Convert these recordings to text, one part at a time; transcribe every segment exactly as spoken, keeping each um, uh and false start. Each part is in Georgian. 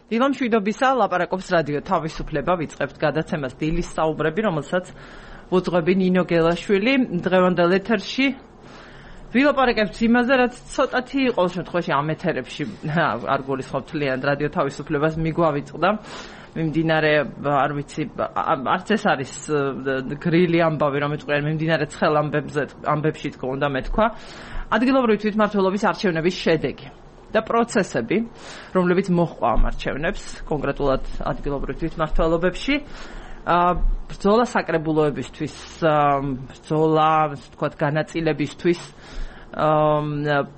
დილა მშვიდობისა, ლაპარაკობს რადიო თავისუფლება, ვიწყებთ გადაცემას დილის საუბრები, რომელსაც ვუძღვები ნინო გელაშვილი, დღევანდელ ეთერში. ვილაპარაკებთ იმაზე, რაც ცოტათი ყოველ შემთხვევაში ამ ეთერებში არ გულისხმობთ თლიანად რადიო თავისუფლებას მიგვავიწყდა. მიმდინარე, არ ვიცი, არც ეს არის გრილი ამბავი, რომ ეთქვიან, მიმდინარე ცხელ ამბებზე, ამბებში თქო უნდა მეთქვა. ადგილობრივი თვითმმართველობის არჩევნების შედეგი და პროცესები, რომლებიც მოჰყვა ამ არჩევნებს, კონკრეტულად ადგილობრივ თვითმმართველობებში, ბრძოლა საკრებულოებისთვის, ბრძოლა, ასე ვთქვათ, განაწილებისთვის,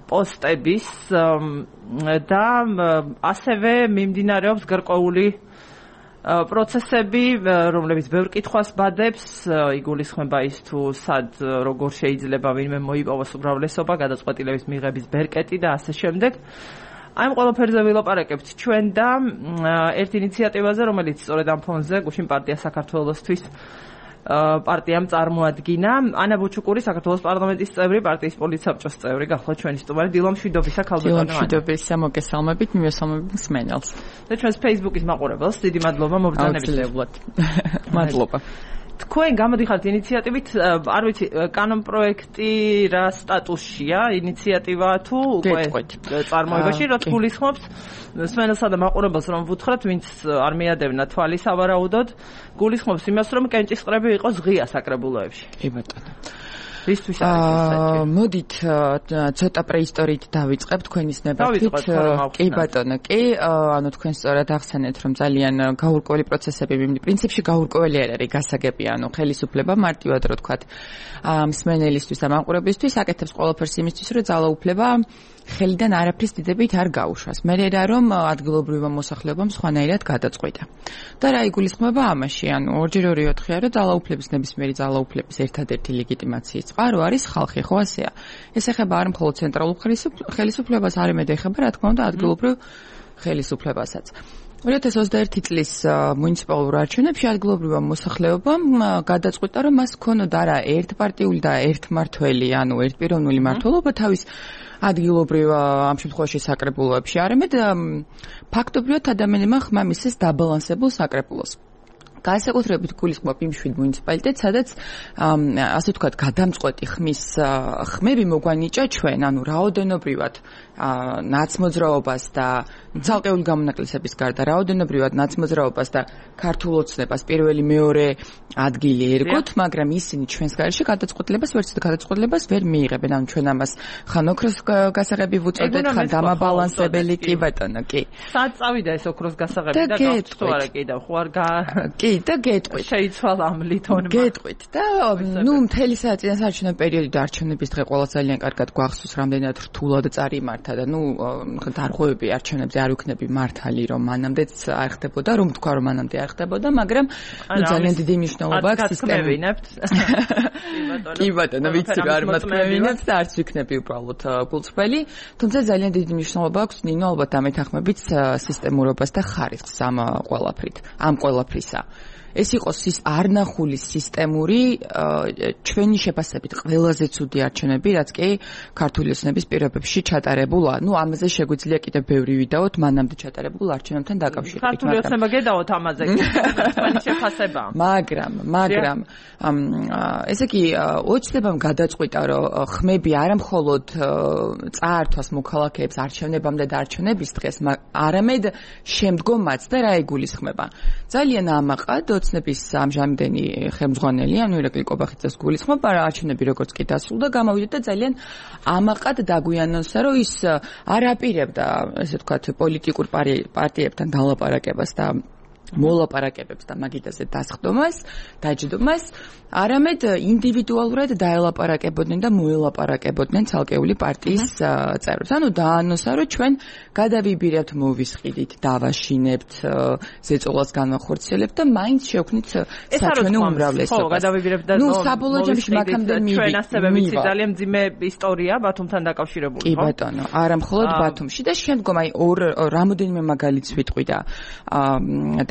პოსტების და ასევე მიმდინარეობს გარკვეული პროცესები, რომლებიც ბევრ კითხვას ბადებს, იგულისხმება ის თუ სად როგორ შეიძლება ვინმე მოიპოვოს უმრავლესობა, გადაწყვეტილების მიღების ბერკეტი და ასე შემდეგ. აი ამ ყველაფერზე ვილაპარაკებთ ჩვენ და ერთ ინიციატივაზე, რომელიც სწორედ ამ ფონზე გუშინ პარტია საქართველოსთვის პარტიამ წარმოადგინა. ანა ბუჩუკური, საქართველოს პარლამენტის წევრი, პარტიის პოლიტსაბჭოს წევრი, გახლავთ ჩვენი სტუმარი. დილა მშვიდობისა, ქალბატონო ანა. მშვიდობისა, მოგესალმებით, მივესალმებით მსმენელს. და ჩვენს Facebook-ის მაყურებელს დიდი მადლობა მობრძანებისთვის. მადლობა. თქვენ გამოდიხართ ინიციატივით, არ ვიცი, კანონ პროექტი რა სტატუსშია, ინიციატივა თუ უკვე წარმოებაში, რაც გულისხმობს მსმენელსა და მაყურებელს რომ ვუთხრათ, ვინც არ მიადევნა თვალის ავარაუდოდ, გულისხმობს იმას, რომ კენჭისყრები იყოს ღია საკრებულოებში. კი ბატონო. ისთვის არის მოდით ცოტა პრეისტორიით დავიწყებთ თქვენის ნებართვით. კი ბატონო, კი, ანუ თქვენ სწორად ახსენეთ, რომ ძალიან გაურკვეველი პროცესები, პრინციპში გაურკვეველი არ არის გასაგები, ანუ ხელისუფლება მარტივად რო თქვათ, მსმენელისთვის და მაყურებლისთვის აკეთებს ყველაფერს იმისთვის, რომ ძალაუფლება ხელიდან არაფრის დიდებით არ გაუშვას. მე რა რომ ადგილობრივმა მოსახლეობამ სხვანაირად გადაწყვიტა. და რა იგულისხმება ამაში, ანუ ორჯერ ორი ოთხია, რომ ძალაუფლების ნებისმიერი ძალაუფლების ერთადერთი ლეგიტიმაციის წყარო არის ხალხი, ხო ასეა. ეს ეხება არ მხოლოდ ცენტრალურ ხელისუფლებას, არამედ ეხება რა თქმა უნდა ადგილობრივ ხელისუფლებასაც. ორი ათას ოცდაერთი წლის მუნიციპალურ არჩევნებში ადგილობრივმა მოსახლეობამ გადაწყვიტა, რომ მას ქონოდა რა ერთპარტიული და ერთმართველი, ანუ ერთპიროვნული მმართველობა თავის ადგილობრივ ამ შემთხვევაში საკრებულოებში, არამედ ფაქტობრივად ადამიანებმა ხმა მისცეს დაბალანსებულ საკრებულოს. განსაკუთრებით გულისხმობ იმ შვიდ მუნიციპალიტეტს, სადაც ასე ვთქვათ, გადამწყვეტი ხმის ხმები მოგვანიჭა ჩვენ, ანუ რაოდენობრივად ნაცმოძრაობას და ცალკეული გამონაკლისების გარდა რაოდენობრივად ნაცმოძრაობას და ქართულ ოცნებას პირველი მეორე ადგილი ერგოთ, მაგრამ ისინი ჩვენს გარეშე გადაწყვეტილებას ვერც გადაწყვეტილებას ვერ მიიღებენ. ანუ ჩვენ ამას ხან ოქროს გასაღები ვუწოდეთ, ხან დამაბალანსებელი, კი ბატონო, კი. სად წავიდა ეს ოქროს გასაღები და გავწუ არა კიდევ, ხო არ კი და გეტყვით. შეიცვალა ამ ლითონმა. გეტყვით და ნუ მთელი საწინასარჩუნო პერიოდი და არჩევნების დღე ყველა ძალიან კარგად გვახსოვს, რამდენად რთულად წარიმართა და ნუ დარღვევები არჩევნებზე არ ვიქნები მართალი, რომ მანამდეც არ ხდებოდა, რომ თქვა რომ მანამდე არ ხდებოდა, მაგრამ ნუ ძალიან დიდი მნიშვნელობა აქვს სისტემით. კი ბატონო, ვიცი რა არ მათქმევინებთ და არც ვიქნები უბრალოდ გულწრფელი, თუმცა ძალიან დიდი მნიშვნელობა აქვს ნინო ალბათ ამეთანხმებით სისტემურობას და ხარისხს ამ ყველაფრით, ამ ყველაფრისა. ეს იყოს არნახული სისტემური ჩვენი შეფასებით ყველაზე ცუდი არჩევნები, რაც კი ქართული ოცნების პირობებში ჩატარებულა. ნუ ამაზე შეგვიძლია კიდევ ბევრი ვიდაოთ მანამდე ჩატარებულ არჩევნებთან დაკავშირებით. ქართული ოცნება გედავოთ ამაზე, ჩვენი შეფასება. მაგრამ, მაგრამ ესე იგი ოცნებამ გადაწყვიტა, რომ ხმები არა მხოლოდ წაართვას მოქალაქეებს არჩევნებამდე და არჩევნების დღეს, არამედ შემდგომაც და რა იგულისხმება. ძალიან ამაყად ოცნების ამჟამინდელი ხელმძღვანელი, ანუ ირაკლი კობახიძეს გულისხმობ, არჩევნები როგორც კი დასრულდა, გამოვიდა და ძალიან ამაყად დაგვიანონსა, რომ ის არ აპირებდა, ესე ვთქვათ, პოლიტიკურ პარტიებთან დალაპარაკებას და მოლაპარაკებებს და მაგიდაზე დასხდომას, დაჯდომას, არამედ ინდივიდუალურად დაელაპარაკებოდნენ და მოელაპარაკებოდნენ ცალკეული პარტიის წევრებს. ანუ დაანონსა, რომ ჩვენ გადავიბირებთ, მოვისყიდით, დავაშინებთ, ზეწოლას განვახორციელებთ და მაინც შევქმნით საჩვენო უმრავლესობას. ხო, გადავიბირებთ და ნუ საბოლოო ჯამში მაგამდე მივიდა. ჩვენ ასევე ვიცი ძალიან მძიმე ისტორია ბათუმთან დაკავშირებული, ხო? კი ბატონო, არა მხოლოდ ბათუმში და შემდგომ აი ორ რამოდენიმე მაგალითს ვიტყვი და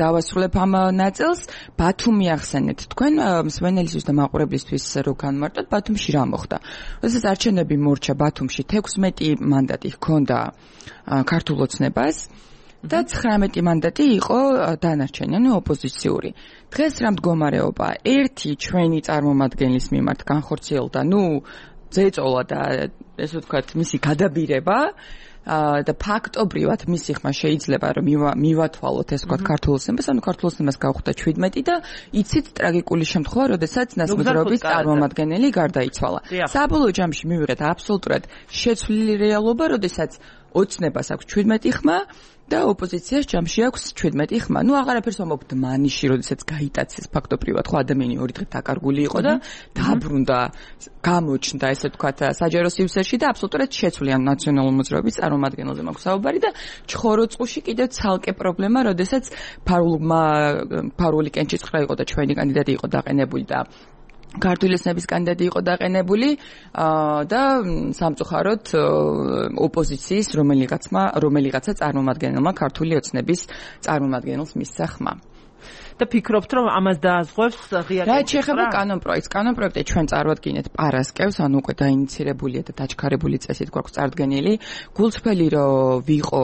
დავასრულებ ამ ნაწილს. ბათუმი ახსენეთ თქვენ მსმენელისთვის და მაყურებლისთვის რო განმარტოთ, ბათუმში რა მოხდა. როდესაც არჩევნები მორჩა ბათუმში, თექვსმეტი მანდატი ჰქონდა ქართულ ოცნებას და ცხრამეტი მანდატი იყო დანარჩენი, ანუ ოპოზიციური. დღეს რა მდგომარეობა? ერთი ჩვენი წარმომადგენლის მიმართ განხორციელდა, ნუ ზეწოლა და ესე ვთქვათ, მისი გადაბირება და ფაქტობრივად მისი ხმა შეიძლება რომ მივათვალოთ ეს ვთქვათ ქართულ სემას, ანუ ქართულ სემას გავხდა შვიდმეტი და იცით ტრაგიკული შემთხვევა, როდესაც ნასმოძრაობის წარმომადგენელი გარდაიცვალა. საბოლოო ჯამში მივიღეთ აბსოლუტურად შეცვლილი რეალობა, როდესაც ოცნებას აქვს შვიდმეტი ხმა და ოპოზიციას ჯამში აქვს შვიდმეტი ხმა. ნუ აღარაფერს ვამბობთ მანიში, როდესაც გაიტაცეს ფაქტობრივად, ხო ადამიანი ორი დღე დაკარგული იყო და დაბრუნდა, გამოჩნდა, ესე ვთქვათ, საჯარო სივრცეში და აბსოლუტურად შეცვლია ნაციონალური მოძრაობის წარმომადგენელზე მაქვს საუბარი და ჩხოროწყუში კიდევ ცალკე პრობლემა, როდესაც ფარულმა ფარული კენჭისყრა იყო და ჩვენი კანდიდატი იყო დაყენებული და ქართული ოცნების კანდიდატი იყო დაყენებული და სამწუხაროდ ოპოზიციის რომელიღაცმა რომელიღაცა წარმომადგენელმა ქართული ოცნების წარმომადგენელს მისცა ხმა. და ფიქრობთ რომ ამას დააზღვევს ღია რა შეეხება კანონპროექტს კანონპროექტი ჩვენ წარვადგინეთ პარასკევს ანუ უკვე დაინიცირებულია და დაჩქარებული წესით გვაქვს წარდგენილი გულწრფელი რომ ვიყო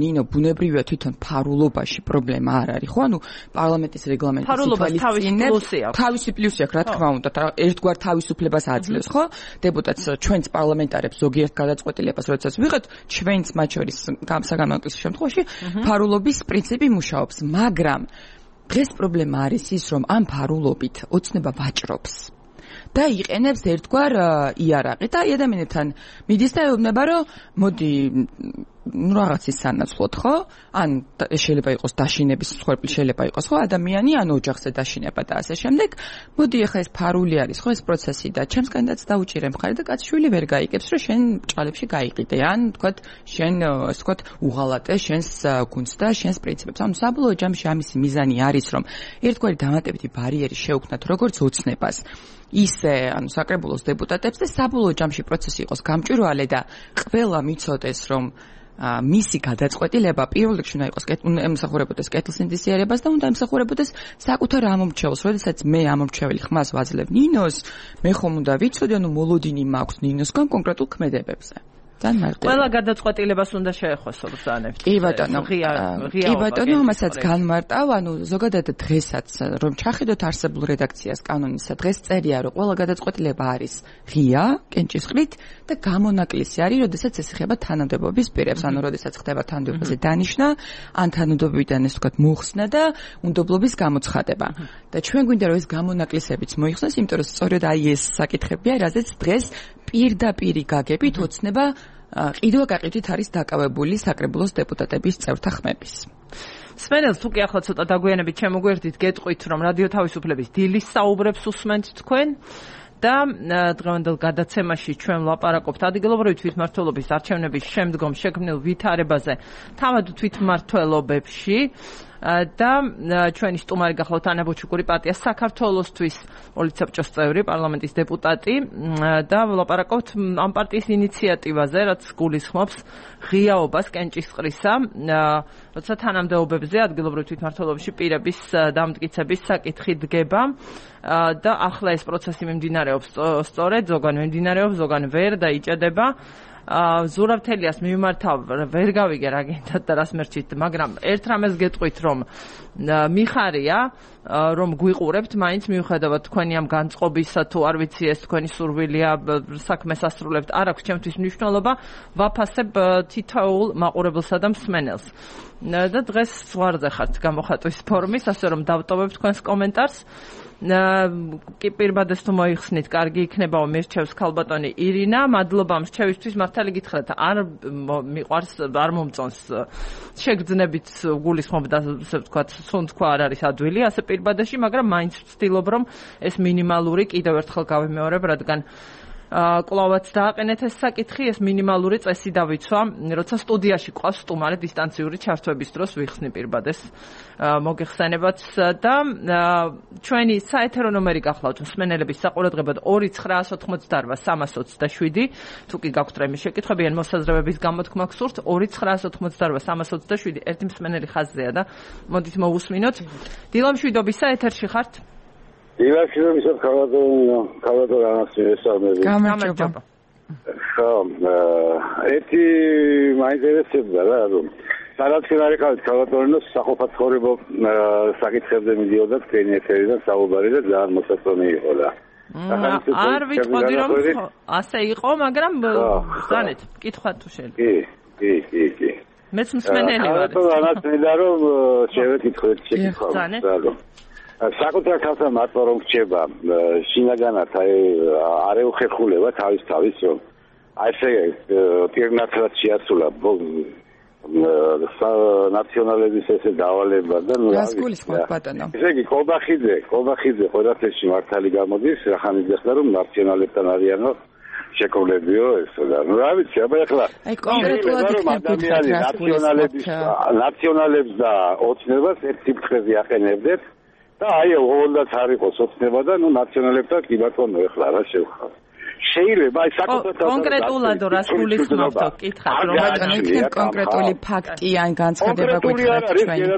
ნინო ბუნებრივია თვითონ ფარულობაში პრობლემა არ არის ხო ანუ პარლამენტის რეგლამენტი სიტუაციის თავისი პლუსი აქვს რა თქმა უნდა ერთგვარ თავისუფლებას აძლევს ხო დეპუტატს ჩვენს პარლამენტარებს ზოგიერთ გადაწყვეტილებას როდესაც ვიღეთ ჩვენს მათ შორის საგანმანათლებლო შემთხვევაში ფარულობის პრინციპი მუშაობს მაგრამ დღეს პრობლემა არის ის, რომ ამ ფარულობით ოცნება ვაჭრობს და იყენებს ერთგვარ იარაღი და ადამიანებთან მიდის და ეუბნება, რომ მოდი ну რაღაცის სანაცვლოდ ხო? ან შეიძლება იყოს დაშინების მსხვერპლი შეიძლება იყოს ხო ადამიანი ან ოჯახზე დაშინება და ასე შემდეგ. მოდი ახლა ეს ფარული არის ხო ეს პროცესი და ჩემს კანდიდატს დაუჭირე მხარი და კაცშვილი ვერ გაიგებს რომ შენ ჭალებში გაიყიდე ან თქვათ შენ ასე თქვათ უღალატე შენს გუნდს და შენს პრინციპებს. ანუ საბოლოო ჯამში ამისი მიზანი არის რომ ერთგვარი დამატებითი ბარიერი შეუქმნათ როგორც ოცნებას ისე ანუ საკრებულოს დეპუტატებს და საბოლოო ჯამში პროცესი იყოს გამჭვირვალე და ყველა მიცოდეს რომ მისი გადაწყვეტილება პირველ რიგში უნდა იყოს ემსახურებოდეს კეთილსინდისიერებას და უნდა ემსახურებოდეს საკუთარ ამომრჩეველს. როდესაც მე ამომრჩეველი ხმას ვაძლევ ნინოს, მე ხომ უნდა ვიცოდე, ანუ მოლოდინი მაქვს ნინოსგან კონკრეტულ ქმედებებზე. ყველა გადაწყვეტილებას უნდა შეეხოს ბრძანებთ. კი ბატონო, კი ბატონო, მასაც განმარტავ, ანუ ზოგადად დღესაც რომ ჩახედოთ არსებულ რედაქციას კანონისა, დღეს წერია, რომ ყველა გადაწყვეტილება არის ღია, კენჭისყრით და გამონაკლისი არის, როდესაც ეს ეხება თანამდებობის პირებს, ანუ როდესაც ხდება თანამდებობაზე დანიშნა, ან თანამდებობიდან ეს ვთქვათ მოხსნა და უნდობლობის გამოცხადება. და ჩვენ გვინდა რომ ეს გამონაკლისებიც მოიხსნას, იმიტომ რომ სწორედ აი ეს საკითხებია, რაზეც დღეს პირდაპირი გაგებით ოცნება ყიდვა-გაყიდვით არის დაკავებული საკრებულოს დეპუტატების წევრთა ხმების. სმენელს თუ კი ახლა ცოტა დაგვიანებით შემოგვერდით, გეტყვით რომ რადიო თავისუფლების დილის საუბრებს უსმენთ თქვენ და დღევანდელ გადაცემაში ჩვენ ვლაპარაკობთ ადგილობრივი თვითმმართველობის არჩევნების შემდგომ შექმნილ ვითარებაზე თავად თვითმმართველობებში და ჩვენი სტუმარი გახლავთ ანა ბუჩუკური პარტია საქართველოსთვის პოლიცაბჭოს წევრი პარლამენტის დეპუტატი და ვლაპარაკობთ ამ პარტიის ინიციატივაზე რაც გულისხმობს ღიაობას კენჭისყრისა როცა თანამდებობებზე ადგილობრივ თვითმმართველობაში პირების დამტკიცების საკითხი დგება და ახლა ეს პროცესი მიმდინარეობს სწორედ ზოგან მიმდინარეობს ზოგან ვერ და იჭედება ზურავთელიას მიმართავ ვერ გავიგე რა გინდათ და რას მერჩით, მაგრამ ერთ რამეს გეტყვით რომ მიხარია რომ გვიყურებთ მაინც მიუხედავად თქვენი ამ განწყობისა თუ არ ვიცი ეს თქვენი სურვილია საქმეს ასრულებთ არ აქვს ჩემთვის მნიშვნელობა ვაფასებ თითოეულ მაყურებელსა და მსმენელს და დღეს ზღვარზე ხართ გამოხატვის ფორმის ასე რომ დავტოვებ თქვენს კომენტარს კი პირბადეს თუ მოიხსნით, კარგი იქნებაო მირჩევს ქალბატონი ირინა, მადლობა მრჩევისთვის, მართალი გითხრათ, არ მიყვარს, არ მომწონს შეგრძნებით გულისხმობ და ასე ვთქვათ, სუნთქვა არ არის ადვილი, ასე პირბადეში, მაგრამ მაინც ვცდილობ რომ ეს მინიმალური კიდევ ერთხელ გავიმეორებ, რადგან კლავაც დააყენეთ ეს საკითხი, ეს მინიმალური წესი დავიცვა, როცა სტუდიაში ყავს სტუმარი დისტანციური ჩართვების დროს ვიხსნი პირბადეს მოგეხსენებათ და ჩვენი საეთერო ნომერი გახლავთ მსმენელების საყურადღებოდ ორი ცხრაას ოთხმოცდაორვა სამას ოცდაშვიდი თუ კი გაქვთ რამე შეკითხვები ან მოსაზრებების გამოთქმა გსურთ ორი ცხრაას ოთხმოცდაორვა სამას ოცდაშვიდი ერთი მსმენელი ხაზზეა და მოდით მოვუსმინოთ დილამშვიდობისა ეთერში ხართ დილამშვიდობ ისეთ ქალბატონო ქალბატონო ანასტასია გამარჯობა ხო ერთი მაინტერესებდა რა რომ სადაც ხარიყავით ქალბატონოს საყოფა ცხოვრება საკითხებზე მიდიოდა თქვენი ეთერიდან საუბარი და ძალიან მოსაწონი იყო და არ ვიტყოდი რომ ასე იყო, მაგრამ ზანეთ, კითხვა თუ შეიძლება. კი, კი, კი, კი. მეც მსმენელი ვარ. რანაც მინდა რომ შევეკითხოთ შეკითხვა. საკუთარ ხალხთან მარტო რომ გჭება შინაგანად აი არ ეუხერხულება თავის თავის რომ აი ესე პირნათლად შეასრულა ნაციონალების ესე დავალება და ნუ რას გულისხმობ ბატონო? ესე იგი კობახიძე, კობახიძე ყველაფერში მართალი გამოდის, რახან იხდა რომ ნაციონალებთან არიანო შეკოლებიო ესო და ნუ რა ვიცი, აბა ეხლა აი კონკრეტულად ადამიანი ნაციონალების ნაციონალებს და ოცნებას ერთ სიფრთხეზე აყენებდეთ და აი ოღონდაც არ იყოს ოცნება და ნუ ნაციონალებთან კი ბატონო ეხლა რა შევხარ. შეიძლება აი საკუთარ კონკრეტულად რას გულისხმობთ კითხავთ რომ ბატონო იქნებ კონკრეტული ფაქტი ან განცხადება გითხრათ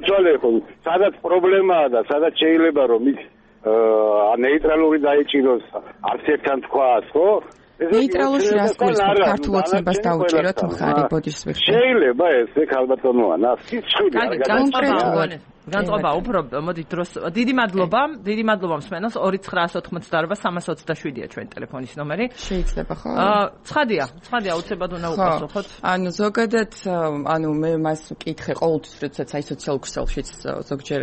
ჩვენ სადაც პრობლემაა და სადაც შეიძლება რომ ის ნეიტრალური დაიჭიროს არც ერთთან თქვას ხო ნეიტრალურში რას გულისხმობთ ქართულ ოცნებას დაუჭიროთ მხარი ბოდიშს ვიხსენებ შეიძლება ესე ქალბატონოა სიცხვილე არ განსხვავებული განწყობა უფრო მოდი დროს დიდი მადლობა დიდი მადლობა მსმენელს ორი ცხრა ოცდაოთხ სამას ოცდაშვიდია ჩვენი ტელეფონის ნომერი შეიძლება ხო აა ცხადია ცხადია უცებად უნდა უპასუხოთ ანუ ზოგადად ანუ მე მას ვკითხე ყოველთვის როდესაც აი სოციალურ ქსელშიც ზოგჯერ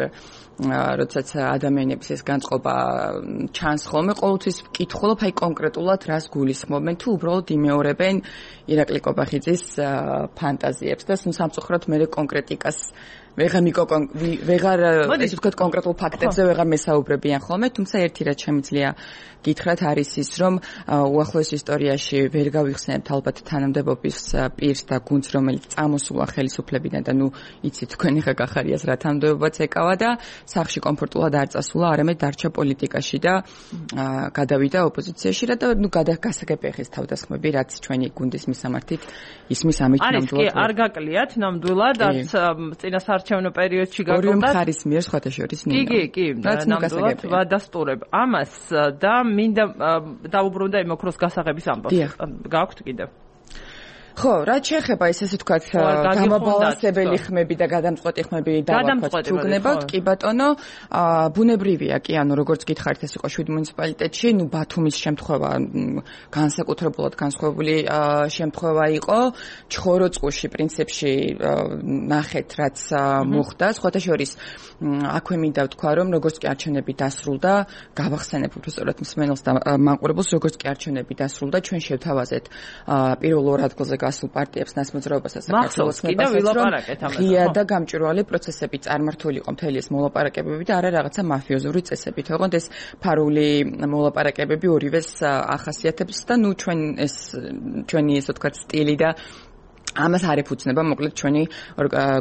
როდესაც ადამიანების ეს განწყობა ჩანს ხოლმე ყოველთვის ვკითხულობ აი კონკრეტულად რას გულისხმობენ თუ უბრალოდ იმეორებენ ირაკლი კობახიძის ფანტაზიებს და სამწუხაროდ მე კონკრეტიკას ვეღარ მიკო ვეღარ ესე ვთქვათ კონკრეტულ ფაქტებზე ვეღარ მესაუბრებიან ხოლმე, თუმცა ერთი რაც შემიძლია გითხრათ არის ის, რომ უახლოეს ისტორიაში ვერ გავიხსენებთ ალბათ თანამდებობის პირს და გუნდს, რომელიც წამოსულა ხელისუფლებიდან და ნუ იცით თქვენ ხა გახარიას რა თანამდებობაც ეკავა და სახში კომფორტულად არ წასულა, არამედ დარჩა პოლიტიკაში და გადავიდა ოპოზიციაში და ნუ გადაგასაგები ხეს თავდასხმები, რაც ჩვენი გუნდის მისამართით ისმის ამით ნამდვილად. არის კი არ გაკლიათ ნამდვილად, არც წინასწარ არჩევნო პერიოდში გაკლდა. ორივე მხარის მიერ სხვათა შორის მინდა. კი, კი, კი, ნამდვილად ვადასტურებ ამას და მინდა დაუბრუნდა იმ ოქროს გასაღების ამბავს. გაქვთ კიდევ? ხო, რაც შეეხება ეს ესე ვთქვათ გამაბალანსებელი ხმები და გადამწყვეტი ხმები დავაქვათ თუ გნებავთ, კი ბატონო, ბუნებრივია კი, ანუ როგორც გითხარით ეს იყო შვიდ მუნიციპალიტეტში, ნუ ბათუმის შემთხვევა განსაკუთრებულად განსხვავებული შემთხვევა იყო, ჩხოროწყუში პრინციპში ნახეთ რაც მოხდა, სხვათა შორის აქვე მინდა ვთქვა, რომ როგორც კი არჩევნები დასრულდა, გავახსენებ უბრალოდ მსმენელს და მაყურებელს, როგორც კი არჩევნები დასრულდა, ჩვენ შევთავაზეთ პირველ ორ ადგილზე გასულ პარტიებს ნასმოძრაობასა საქართველოს მებასაც ღია და გამჭვირვალე პროცესები წარმართული იყო მთელი ეს მოლაპარაკებები და არა რაღაცა მაფიოზური წესებით. ოღონდ ეს ფარული მოლაპარაკებები ორივეს ახასიათებს და ნუ ჩვენ ეს ჩვენი ესე ვთქვათ სტილი და ამას არ ეფუძნება მოკლედ ჩვენი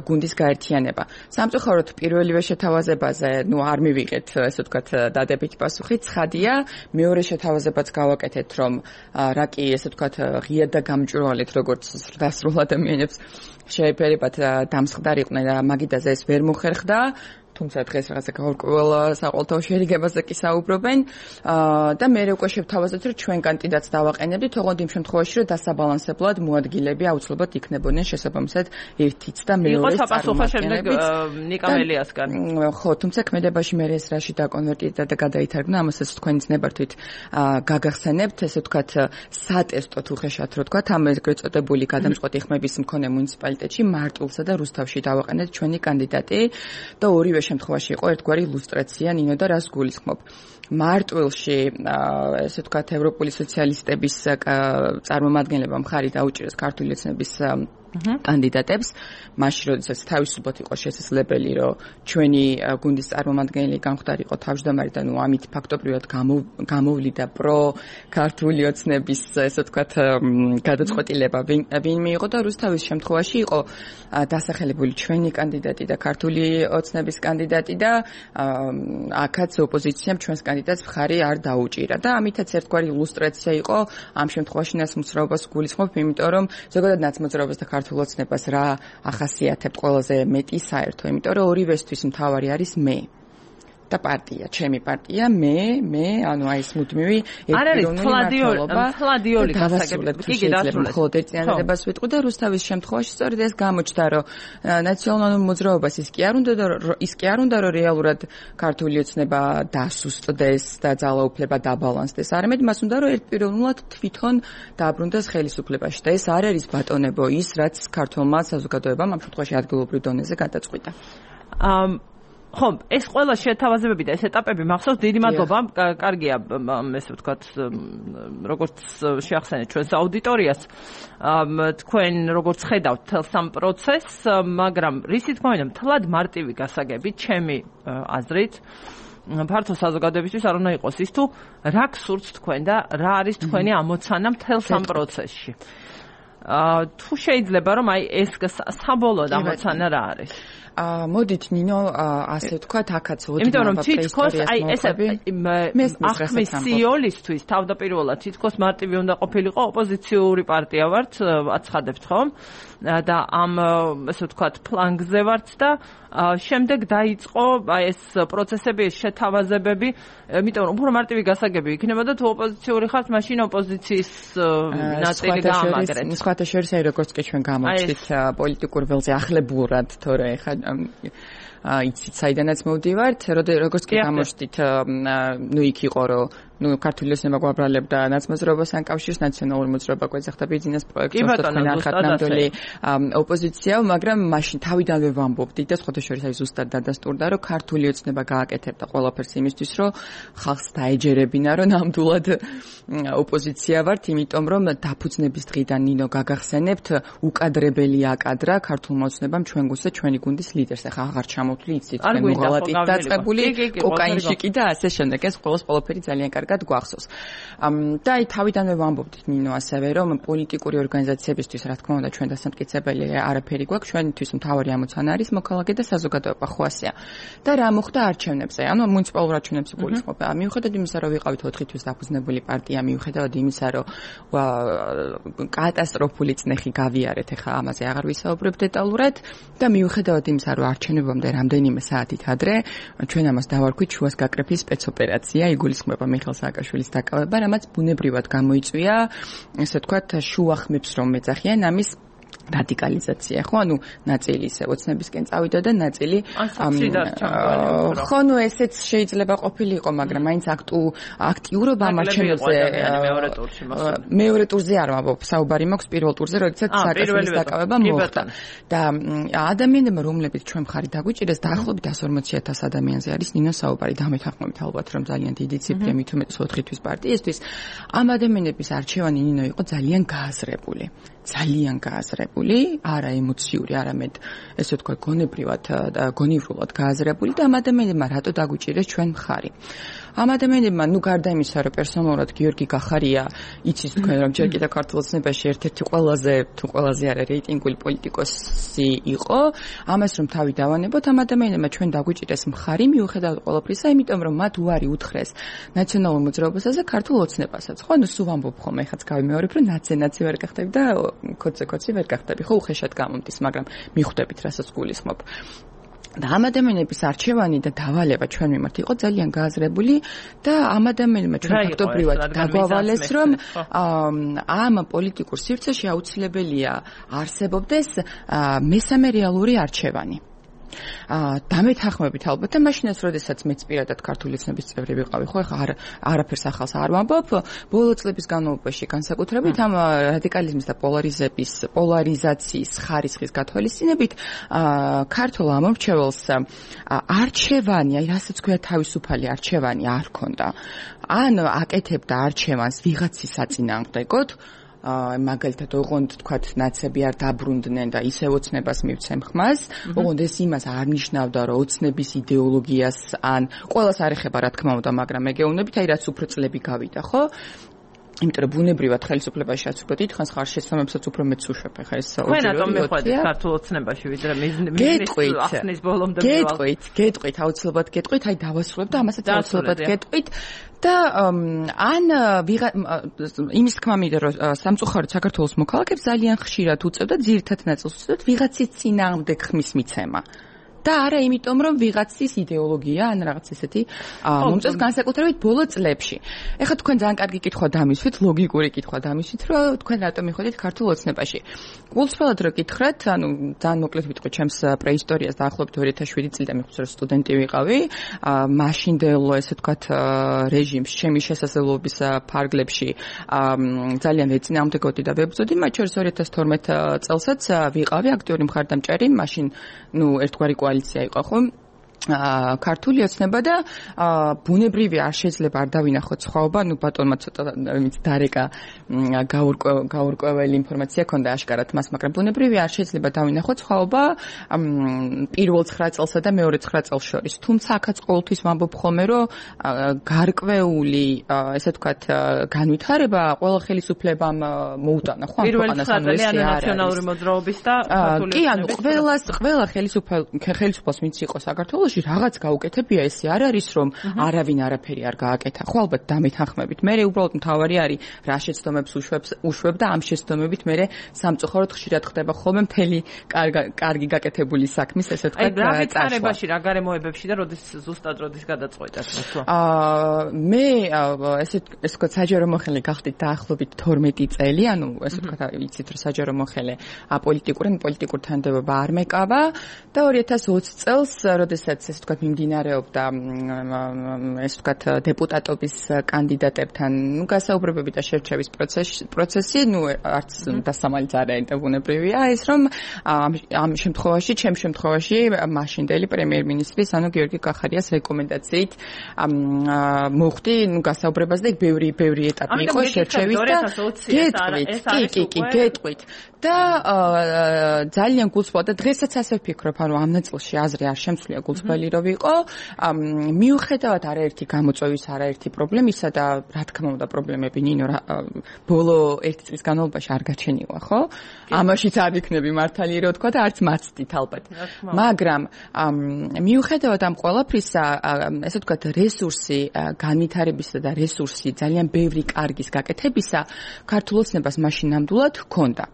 გუნდის გაერთიანება. სამწუხაროდ პირველივე შეთავაზებაზე, ნუ არ მივიღეთ, ესე ვთქვათ, დადებითი პასუხი. ცხადია, მეორე შეთავაზებაც გავაკეთეთ, რომ რა კი, ესე ვთქვათ, ღია და გამჭვირვალედ, როგორც დასრულ ადამიანებს შეეფერებათ დამსხდარიყვნენ და მაგიდაზე ეს ვერ მოხერხდა. თუმცა დღეს რაღაცა გაურკვეველ საყოველთაო შერიგებაზე კი საუბრობენ და მე უკვე შევთავაზეთ, რომ ჩვენ კანდიდატს დავაყენებდით, ოღონდ იმ შემთხვევაში, რომ დასაბალანსებლად მოადგილები აუცილებლად იქნებოდნენ შესაბამისად ერთიც და მეორეს საპასუხო შემდეგ ნიკამელიასგან. ხო, თუმცა ქმედებაში მე ეს რაში დაკონვერტირდა და გადაითარგმნა, ამასაც თქვენიც ნებართვით გაგახსენებთ, ესე ვთქვათ, სატესტო თუ ხეშად რო ვთქვათ, ამ ეგრეთ წოდებული გადამწყვეტი ხმების მქონე მუნიციპალიტეტში მარტვილსა და რუსთავში დავაყენეთ ჩვენი კანდიდატი და ორივე შემთხვევაში იყო ერთგვარი ილუსტრაცია ნინო და რას გულისხმობ. მარტვილში ესე ვთქვათ ევროპული სოციალისტების წარმომადგენლებმა მხარი დაუჭირეს ქართული ოცნების კანდიდატებს, მაშინ როდესაც თავისუფლად იყო შესაძლებელი, რომ ჩვენი გუნდის წარმომადგენელი გამხდარიყო თავმჯდომარე და ნუ ამით ფაქტობრივად გამოვლიდა პრო ქართული ოცნების, ესე ვთქვათ, გადაწყვეტილება ვინ მიიღო და რუსთავის შემთხვევაში იყო დასახელებული ჩვენი კანდიდატი და ქართული ოცნების კანდიდატი და აქაც ოპოზიციამ ჩვენს კანდიდატს მხარი არ დაუჭირა და ამითაც ერთგვარი ილუსტრაცია იყო ამ შემთხვევაში ნაცმოძრაობას გულისხმობ, იმიტომ რომ ზოგადად ნაცმოძრაობას და ქართულ ოცნებას რა ახასიათებთ ყველაზე მეტი საერთო, იმიტომ რომ ორივესთვის მთავარი არის მე. და პარტია, ჩემი პარტია, მე, მე, ანუ აი ეს მუდმივი ერთპიროვნული მართლობა. თლადიოლი გასაგები. კი, გასაგები. მხოლოდ ერთ წინადადებას ვიტყვი და რუსთავის შემთხვევაში სწორედ ეს გამოჩნდა, რომ ნაციონალურ მოძრაობას ის კი არ უნდა ის კი არ უნდა რომ რეალურად ქართული ოცნება დასუსტდეს და ძალაუფლება დაბალანსდეს. არამედ მას უნდა რომ ერთპიროვნულად თვითონ დააბრუნდეს ხელისუფლებაში და ეს არ არის ბატონებო ის, რაც ქართულმა საზოგადოებამ ამ შემთხვევაში ადგილობრივ დონეზე გადაწყვიტა. ამ ხო, ეს ყველა შეთავაზებები და ეს ეტაპები მახსოვს, დიდი მადლობა. კარგია, ესე ვთქვათ, როგორც შეახსენეთ ჩვენს აუდიტორიას, თქვენ როგორც ხედავთ თელს ამ პროცესს, მაგრამ რისი თქმა უნდა, მთლად მარტივი გასაგები, ჩემი აზრით, ფართო საზოგადოებისთვის არ უნდა იყოს ის თუ რა გსურთ თქვენ და რა არის თქვენი ამოცანა მთელს ამ პროცესში. თუ შეიძლება რომ აი ეს საბოლოო ამოცანა რა არის? აა მოდით ნინო ასე ვთქვათ, აქაც იმიტომ რომ თითქოს აი ეს ახმის სიოლისთვის თავდაპირველად თითქოს მარტივი უნდა ყოფილიყო, ოპოზიციური პარტია ვართ, აცხადებთ ხომ? და ამ ესე ვთქვათ ფლანგზე ვართ და შემდეგ დაიწყო აი ეს პროცესები, ეს შეთავაზებები, იმიტომ რომ უფრო მარტივი გასაგები იქნება და თუ ოპოზიციური ხართ, მაშინ ოპოზიციის ნაწილი გაამაგრეთ. სხვათა შორის აი როგორც კი ჩვენ გამოვჩით პოლიტიკურ ველზე ახლებურად, თორე ეხა იცით საიდანაც მოვდივართ, როგორც კი გამოჩით, ნუ იქ იყო რომ ну ქართული ოცნება გვაბრალებდა ნაცმოძრაობასთან კავშირს, ნაციონალური მოძრაობა გვეძახდა ბიზნეს პროექტს, თქვენ ახად ნამდვილი ოპოზიცია, მაგრამ მაშინ თავიდანვე ვამბობდით და სხვათა შორის აი ზუსტად დადასტურდა, რომ ქართული ოცნება გააკეთებდა ყველაფერს იმისთვის, რომ ხალხს დაეჯერებინა, რომ ნამდვილად ოპოზიცია ვართ, იმიტომ რომ დაფუძნების დღიდან ნინო გაგახსენებთ, უკადრებელი აკადრა ქართულმა ოცნებამ ჩვენ გუნდს და ჩვენი გუნდის ლიდერს. ახლა აღარ ჩამოვთვლი, იცით, თქვენ უღალატით დაწყებული, კოკაინშიკი და ასე შემდეგ. ეს ყველას ყველაფერი ძალიან კარგი გვახსოვს. და აი თავიდანვე ვამბობდით ნინო ასევე რომ პოლიტიკური ორგანიზაციებისთვის რა თქმა უნდა ჩვენ დასამტკიცებელი არაფერი გვაქვს, ჩვენთვის მთავარი ამოცანა არის მოქალაქე და საზოგადოება ხواسია. და რა მოხდა არჩევნებზე? ანუ მუნიციპალურ არჩევნებზე გულისხმობ. მიუხედავად იმისა, რომ ვიყავით ოთხი თვის დაფუძნებული პარტია, მიუხედავად იმისა, რომ კატასტროფული წნეხი გავიარეთ, ეხა ამაზე აღარ ვისაუბრებ დეტალურად და მიუხედავად იმისა, რომ არჩევნებამდე რამდენიმე საათით ადრე ჩვენ ამას დავარქვით შუას გაკრეფის სპეცოპერაცია, იგულისხმება მიხეილ სააკაშვილის დაკავება, რამაც ბუნებრივად გამოიწვია, ესე ვთქვათ, შუახმებს რომ მეძახიან ამის რადიკალიზაცია, ხო, ანუ ნაწილი ისე ოცნებისკენ წავიდა და ნაწილი ხო, ნუ ესეც შეიძლება ყოფილიყო, მაგრამ მაინც აქტუ აქტიურობა მარჩენებზე მეორე ტურში მეორე ტურზე არ ვამბობ, საუბარი მაქვს პირველ ტურზე, როდესაც სააკაშვილის დაკავება მოხდა. და ადამიანებმა, რომლებიც ჩვენ მხარი დაგვიჭირეს, დაახლოებით εκατს ორმოცი ათას ადამიანზე არის ნინო საუბარი, დამეთანხმებით ალბათ, რომ ძალიან დიდი ციფრია, მით უმეტეს ოთხი თვის პარტიისთვის. ამ ადამიანების არჩევანი ნინო იყო ძალიან გააზრებული. ძალიან გააზრებული, არა ემოციური, არამედ ესე ვთქვათ, გონებრივად და გონივრულად გააზრებული და ამ ადამიანებმა რატო დაგვიჭირეს ჩვენ მხარი. ამ ადამიანებმა, ნუ გარდა იმისა, რომ პერსონალურად გიორგი გახარია, იცის თქვენ, რომ ჯერ კიდევ ქართულ ოცნებაში ერთ-ერთი ყველაზე თუ ყველაზე არა რეიტინგული პოლიტიკოსი იყო, ამას რომ თავი დავანებოთ, ამ ადამიანებმა ჩვენ დაგვიჭირეს მხარი, მიუხედავად ყველაფრისა, იმიტომ რომ მათ უარი უთხრეს ნაციონალურ მოძრაობასაც და ქართულ ოცნებასაც. ხო, ნუ სულ ვამბობ ხოლმე, ეხაც გავიმეორებ, რომ ნაცე-ნაცე ვერ გახდები და კოცე-კოცი ვერ გახდები, ხო, უხეშად გამომდის, მაგრამ მიხვდებით, რასაც გულისხმობ. და ამ ადამიანების არჩევანი და დავალება ჩვენ მიმართ იყო ძალიან გააზრებული და ამ ადამიანებმა ჩვენ ფაქტობრივად დაგვავალეს, რომ ამ პოლიტიკურ სივრცეში აუცილებელია არსებობდეს მესამე რეალური არჩევანი. აა დამეთანხმებით ალბათ და მაშინაც როდესაც მეც პირადად ქართული ოცნების წევრი ვიყავი, ხო, ახლა არ არაფერს ახალს არ ვამბობ, ბოლო წლების განმავლობაში განსაკუთრებით ამ რადიკალიზმის და პოლარიზების პოლარიზაციის ხარისხის გათვალისწინებით აა ქართულ ამორჩეველს არჩევანი, აი რასაც ქვია თავისუფალი არჩევანი არ ქონდა. ან აკეთებდა არჩევანს ვიღაცის საწინააღმდეგოდ, მაგალითად, ოღონდ თქვათ, ნაცები არ დაბრუნდნენ და ისევ ოცნებას მივცემ ხმას, ოღონდ ეს იმას არ ნიშნავდა, რომ ოცნების იდეოლოგიას ან ყველას არ ეხება, რა თქმა უნდა, მაგრამ მეგეუბნებით, აი რაც უფრო წლები გავიდა, ხო? იმიტომ რომ ბუნებრივად ხელისუფლებაში რაც უფრო დიდხანს ხარ შესაბამისად უფრო მეც უშვებ, ხა ეს ოჯახური. თქვენ რატომ მეხვედით ქართულ ოცნებაში, ვიდრე მიზნის ახსნის ბოლომდე მივალ? გეტყვით, გეტყვით, აუცილებლად გეტყვით, აი დავასრულებ და ამასაც აუცილებლად გეტყვით. და ან იმის თქმა მინდა, რომ სამწუხაროდ საქართველოს მოქალაქეებს ძალიან ხშირად უწევდა ძირითად ნაწილს უწევდათ ვიღაცის წინააღმდეგ ხმის მიცემა. და არა იმიტომ რომ ვიღაცის იდეოლოგია ან რაღაც ესეთი მომწონს განსაკუთრებით ბოლო წლებში. ეხლა თქვენ ძალიან კარგი კითხვა დამისვით, ლოგიკური კითხვა დამისვით, რომ თქვენ რატომ მიხვდით ქართულ ოცნებაში. გულწრფელად რო გითხრათ, ანუ ძალიან მოკლედ ვიტყვი ჩემს პრეისტორიას დაახლოებით ორი ათას შვიდი წლიდან მიხსოვს რომ სტუდენტი ვიყავი. მაშინდელ ესე ვთქვათ რეჟიმს ჩემი შესაძლებლობის ფარგლებში ძალიან ეწინააღმდეგოდი და ვებრძოდი, მათ შორის ორი ათას თორმეტ წელსაც ვიყავი აქტიური მხარდამჭერი, მაშინ ნუ ერთგვარი კოალიცია იყო ხო? ქართული ოცნება და ბუნებრივი არ შეიძლება არ დავინახოთ სხვაობა, ნუ ბატონმა ცოტა იმით დარეკა გაურკვეველი ინფორმაცია ქონდა აშკარად მას, მაგრამ ბუნებრივი არ შეიძლება დავინახოთ სხვაობა პირველ ცხრა წელსა და მეორე ცხრა წელს შორის. თუმცა აქაც ყოველთვის ვამბობ ხოლმე, რომ გარკვეული, ესე ვთქვათ, განვითარება ყველა ხელისუფლებამ მოუტანა, ხო? პირველი ცხრა წელი ანუ ნაციონალური მოძრაობის და ქართული კი, ანუ ყველას ყველა ხელისუფალს ვინც იყო საქართველოს რაღაც გაუკეთებია, ესე არ არის რომ არავინ არაფერი არ გააკეთა. ხო ალბათ დამეთანხმებით. მე უბრალოდ მთავარი არის რა შეცდომებს უშვებს უშვებ და ამ შეცდომებით მე სამწუხაროდ ხშირად ხდება ხოლმე მთელი კარგი გაკეთებული საქმის ესე ვთქვათ. აი რა ვითარებაში, რა გარემოებებში და როდის ზუსტად როდის გადაწყვეტათ ხო? აა მე ესე ესე ვთქვათ საჯარო მოხელე გახდით დაახლოებით თორმეტი წელი, ანუ ესე ვთქვათ იცით რომ საჯარო მოხელე აპოლიტიკური, პოლიტიკურ თანამდებობა არ მეკავა და ორი ათას ოცი წელს როდესაც ესე ვთქვათ მიმდინარეობდა ესე ვთქვათ დეპუტატობის კანდიდატებთან ნუ გასაუბრებები და შერჩევის პროცესი, ნუ არც დასამალიც არ არის ბუნებრივია ის რომ ამ შემთხვევაში, ჩემ შემთხვევაში მაშინდელი პრემიერ-მინისტრის, ანუ გიორგი კახარიას რეკომენდაციით მოხდი ნუ გასაუბრებას და ბევრი ბევრი ეტაპი იყო შერჩევის და გეტყვით, კი, კი, გეტყვით და ძალიან გულწრფელად და დღესაც ასე ვფიქრობ, ანუ ამ ნაწილში აზრი არ შემცვლია გულწრფელი რო ვიყო, მიუხედავად არაერთი გამოწვევის, არაერთი პრობლემისა და რა თქმა უნდა პრობლემები ნინო ბოლო ერთი წლის განმავლობაში არ გაჩენილა, ხო? ამაშიც არ ვიქნები მართალი რო თქვა და არც მაცდით ალბათ. მაგრამ მიუხედავად ამ ყველაფრისა, ესე ვთქვათ, რესურსი განვითარებისა და რესურსი ძალიან ბევრი კარგის გაკეთებისა ქართულ ოცნებას მაშინ ნამდვილად ჰქონდა.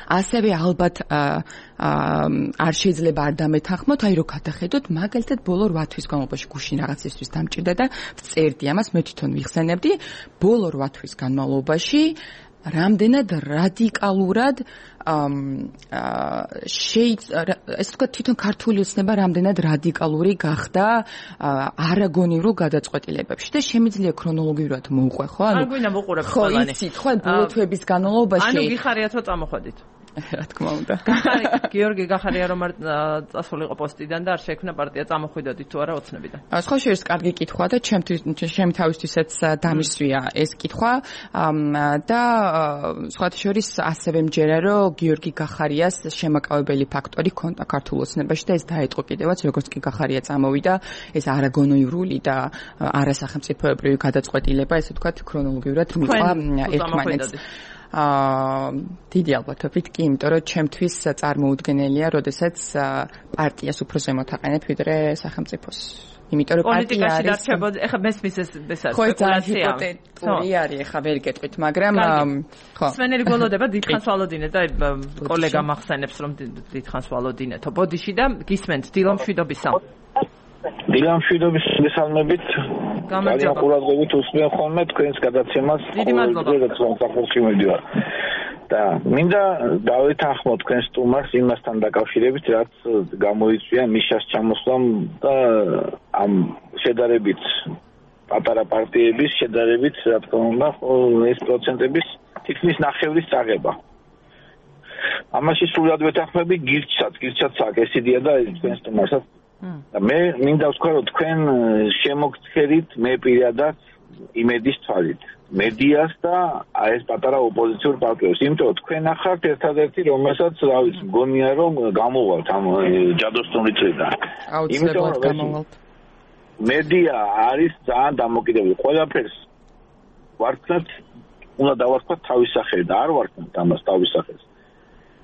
ასევე ალბათ არ შეიძლება არ დამეთანხმოთ, აი რო გადახედოთ, მაგალითად ბოლო რვა თვის განმავლობაში გუშინ რაღაცისთვის დამჭირდა და ვწერდი ამას, მე თვითონ ვიხსენებდი, ბოლო რვა თვის განმავლობაში რამდენად რადიკალურად ესე ვთქვათ, თვითონ ქართული ოცნება რამდენად რადიკალური გახდა არაგონივრულ გადაწყვეტილებებში და შემიძლია ქრონოლოგიურად მოვყვე, ხო? ანუ არ გვინდა მოყურებს ყველანი. ხო, იცით, ხო, ბოლო თვეების განმავლობაში. ანუ გიხარიათ რომ წამოხვედით. რა თქმა უნდა. გიორგი გახარია რომ არ წასულიყო პოსტიდან და არ შეექმნა პარტია, წამოხვიდოდით თუ არა ოცნებიდან. სხვა შეიძლება კარგი კითხვა და ჩემთვის ჩემ თავისთვისაც დამისვია ეს კითხვა და სხვა შორის ასევე მჯერა რომ გიორგი გახარიას შემაკავებელი ფაქტორი ქონდა ქართულ ოცნებაში და ეს დაეტყო კიდევაც როგორც კი გახარია წამოვიდა ეს არაგონოივრული და არასახელმწიფოებრივი გადაწყვეტილება ესე ვთქვათ ქრონოლოგიურად მიყვა ერთმანეთს. აა დიდი ალბათობით კი, იმიტომ რომ ჩემთვის წარმოუდგენელია, როდესაც პარტიას უფრო ზემოთ აყენებ ვიდრე სახელმწიფოს. იმიტომ რომ პარტია არის ეხა მესმის ეს ესაა სპეკულაცია. ხო, არის ეხა ვერ გეტყვით, მაგრამ ხო. სვენელი გველოდება დიდხანს ვალოდინეთ და კოლეგა მახსენებს რომ დიდხანს ვალოდინეთო ბოდიში და გისმენთ დილომშვიდობისა. დილამშვიდობის მესალმებით ძალიან ყურადღებით უსმენ ხოლმე თქვენს გადაცემას. დიდი მადლობა. საქართველოში მიდივარ. და მინდა დავეთანხმო თქვენ სტუმარს იმასთან დაკავშირებით, რაც გამოიწვია მიშას ჩამოსვლამ და ამ შედარებით პატარა პარტიების შედარებით, რა თქმა უნდა, ეს პროცენტების თითქმის ნახევრის წაღება. ამაში სულად ვეთანხმები გირჩსაც, გირჩაც აქ ეს იდეა და თქვენ სტუმარსაც და მე მინდა ვთქვა, რომ თქვენ შემოგცერით მე პირადად იმედის თვალით მედიას და ეს პატარა ოპოზიციურ პარტიებს, იმიტომ რომ თქვენ ახართ ერთადერთი, რომელსაც რა ვიცი, მგონია რომ გამოვალთ ამ ჯადოსნური წრიდან. აუცილებლად გამოვალთ. მედია არის ძალიან დამოკიდებული. ყველაფერს ვარქმევთ, უნდა დავარქვათ თავის სახელი და არ ვარქმევთ ამას თავის სახელს.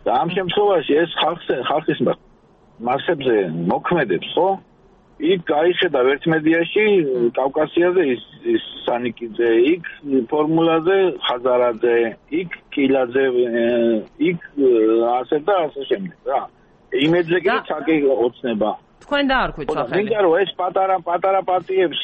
და ამ შემთხვევაში ეს ხალხს ხალხის მასებზე მოქმედებს, ხო? იქ გაიხედავ ერთ მედიაში კავკასიაზე ის სანიკიძე, იქ ფორმულაზე ხაზარაძე, იქ კილაძე, იქ ასე და ასე შემდეგ რა. იმედზე კი ცალკე ოცნება. თქვენ დაარქვით სახელი. მინდა რომ ეს პატარა პატარა პარტიებს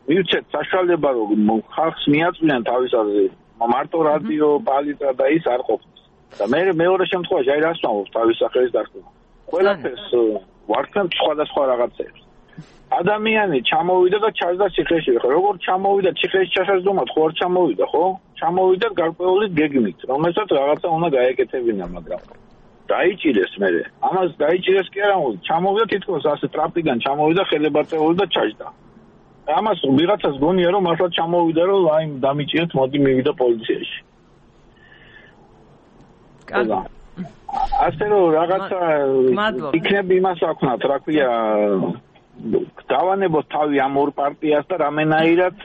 მივცეთ საშუალება რომ ხალხს მიაწვიან თავის აზრი. მარტო რადიო, პალიტა და ის არ ყოფნის. და მე მეორე შემთხვევაში აი რას ვამბობ თავის სახელის დარქმევა. ყველაფერს ვარქმევ სხვადასხვა რაღაცებს. ადამიანი ჩამოვიდა და ჩაჯდა ციხეში. ხო, როგორ ჩამოვიდა ციხეში ჩასაჯდომად, ხო არ ჩამოვიდა, ხო? ჩამოვიდა გარკვეული გეგმით, რომელსაც რაღაცა უნდა გაეკეთებინა, მაგრამ დაიჭირეს მე. ამას დაიჭირეს კი არა, ჩამოვიდა თითქოს ასე ტრაპიდან ჩამოვიდა ხელებაწეული და ჩაჯდა. ამას ვიღაცას გონია რომ მართლა ჩამოვიდა რომ აი დამიჭირეთ, მოდი მივიდა პოლიციაში. კარგი. ასე რომ რაღაცა იქნები იმას ვაქნათ, რა ქვია, დავანებოთ თავი ამ ორ პარტიას და რამენაირად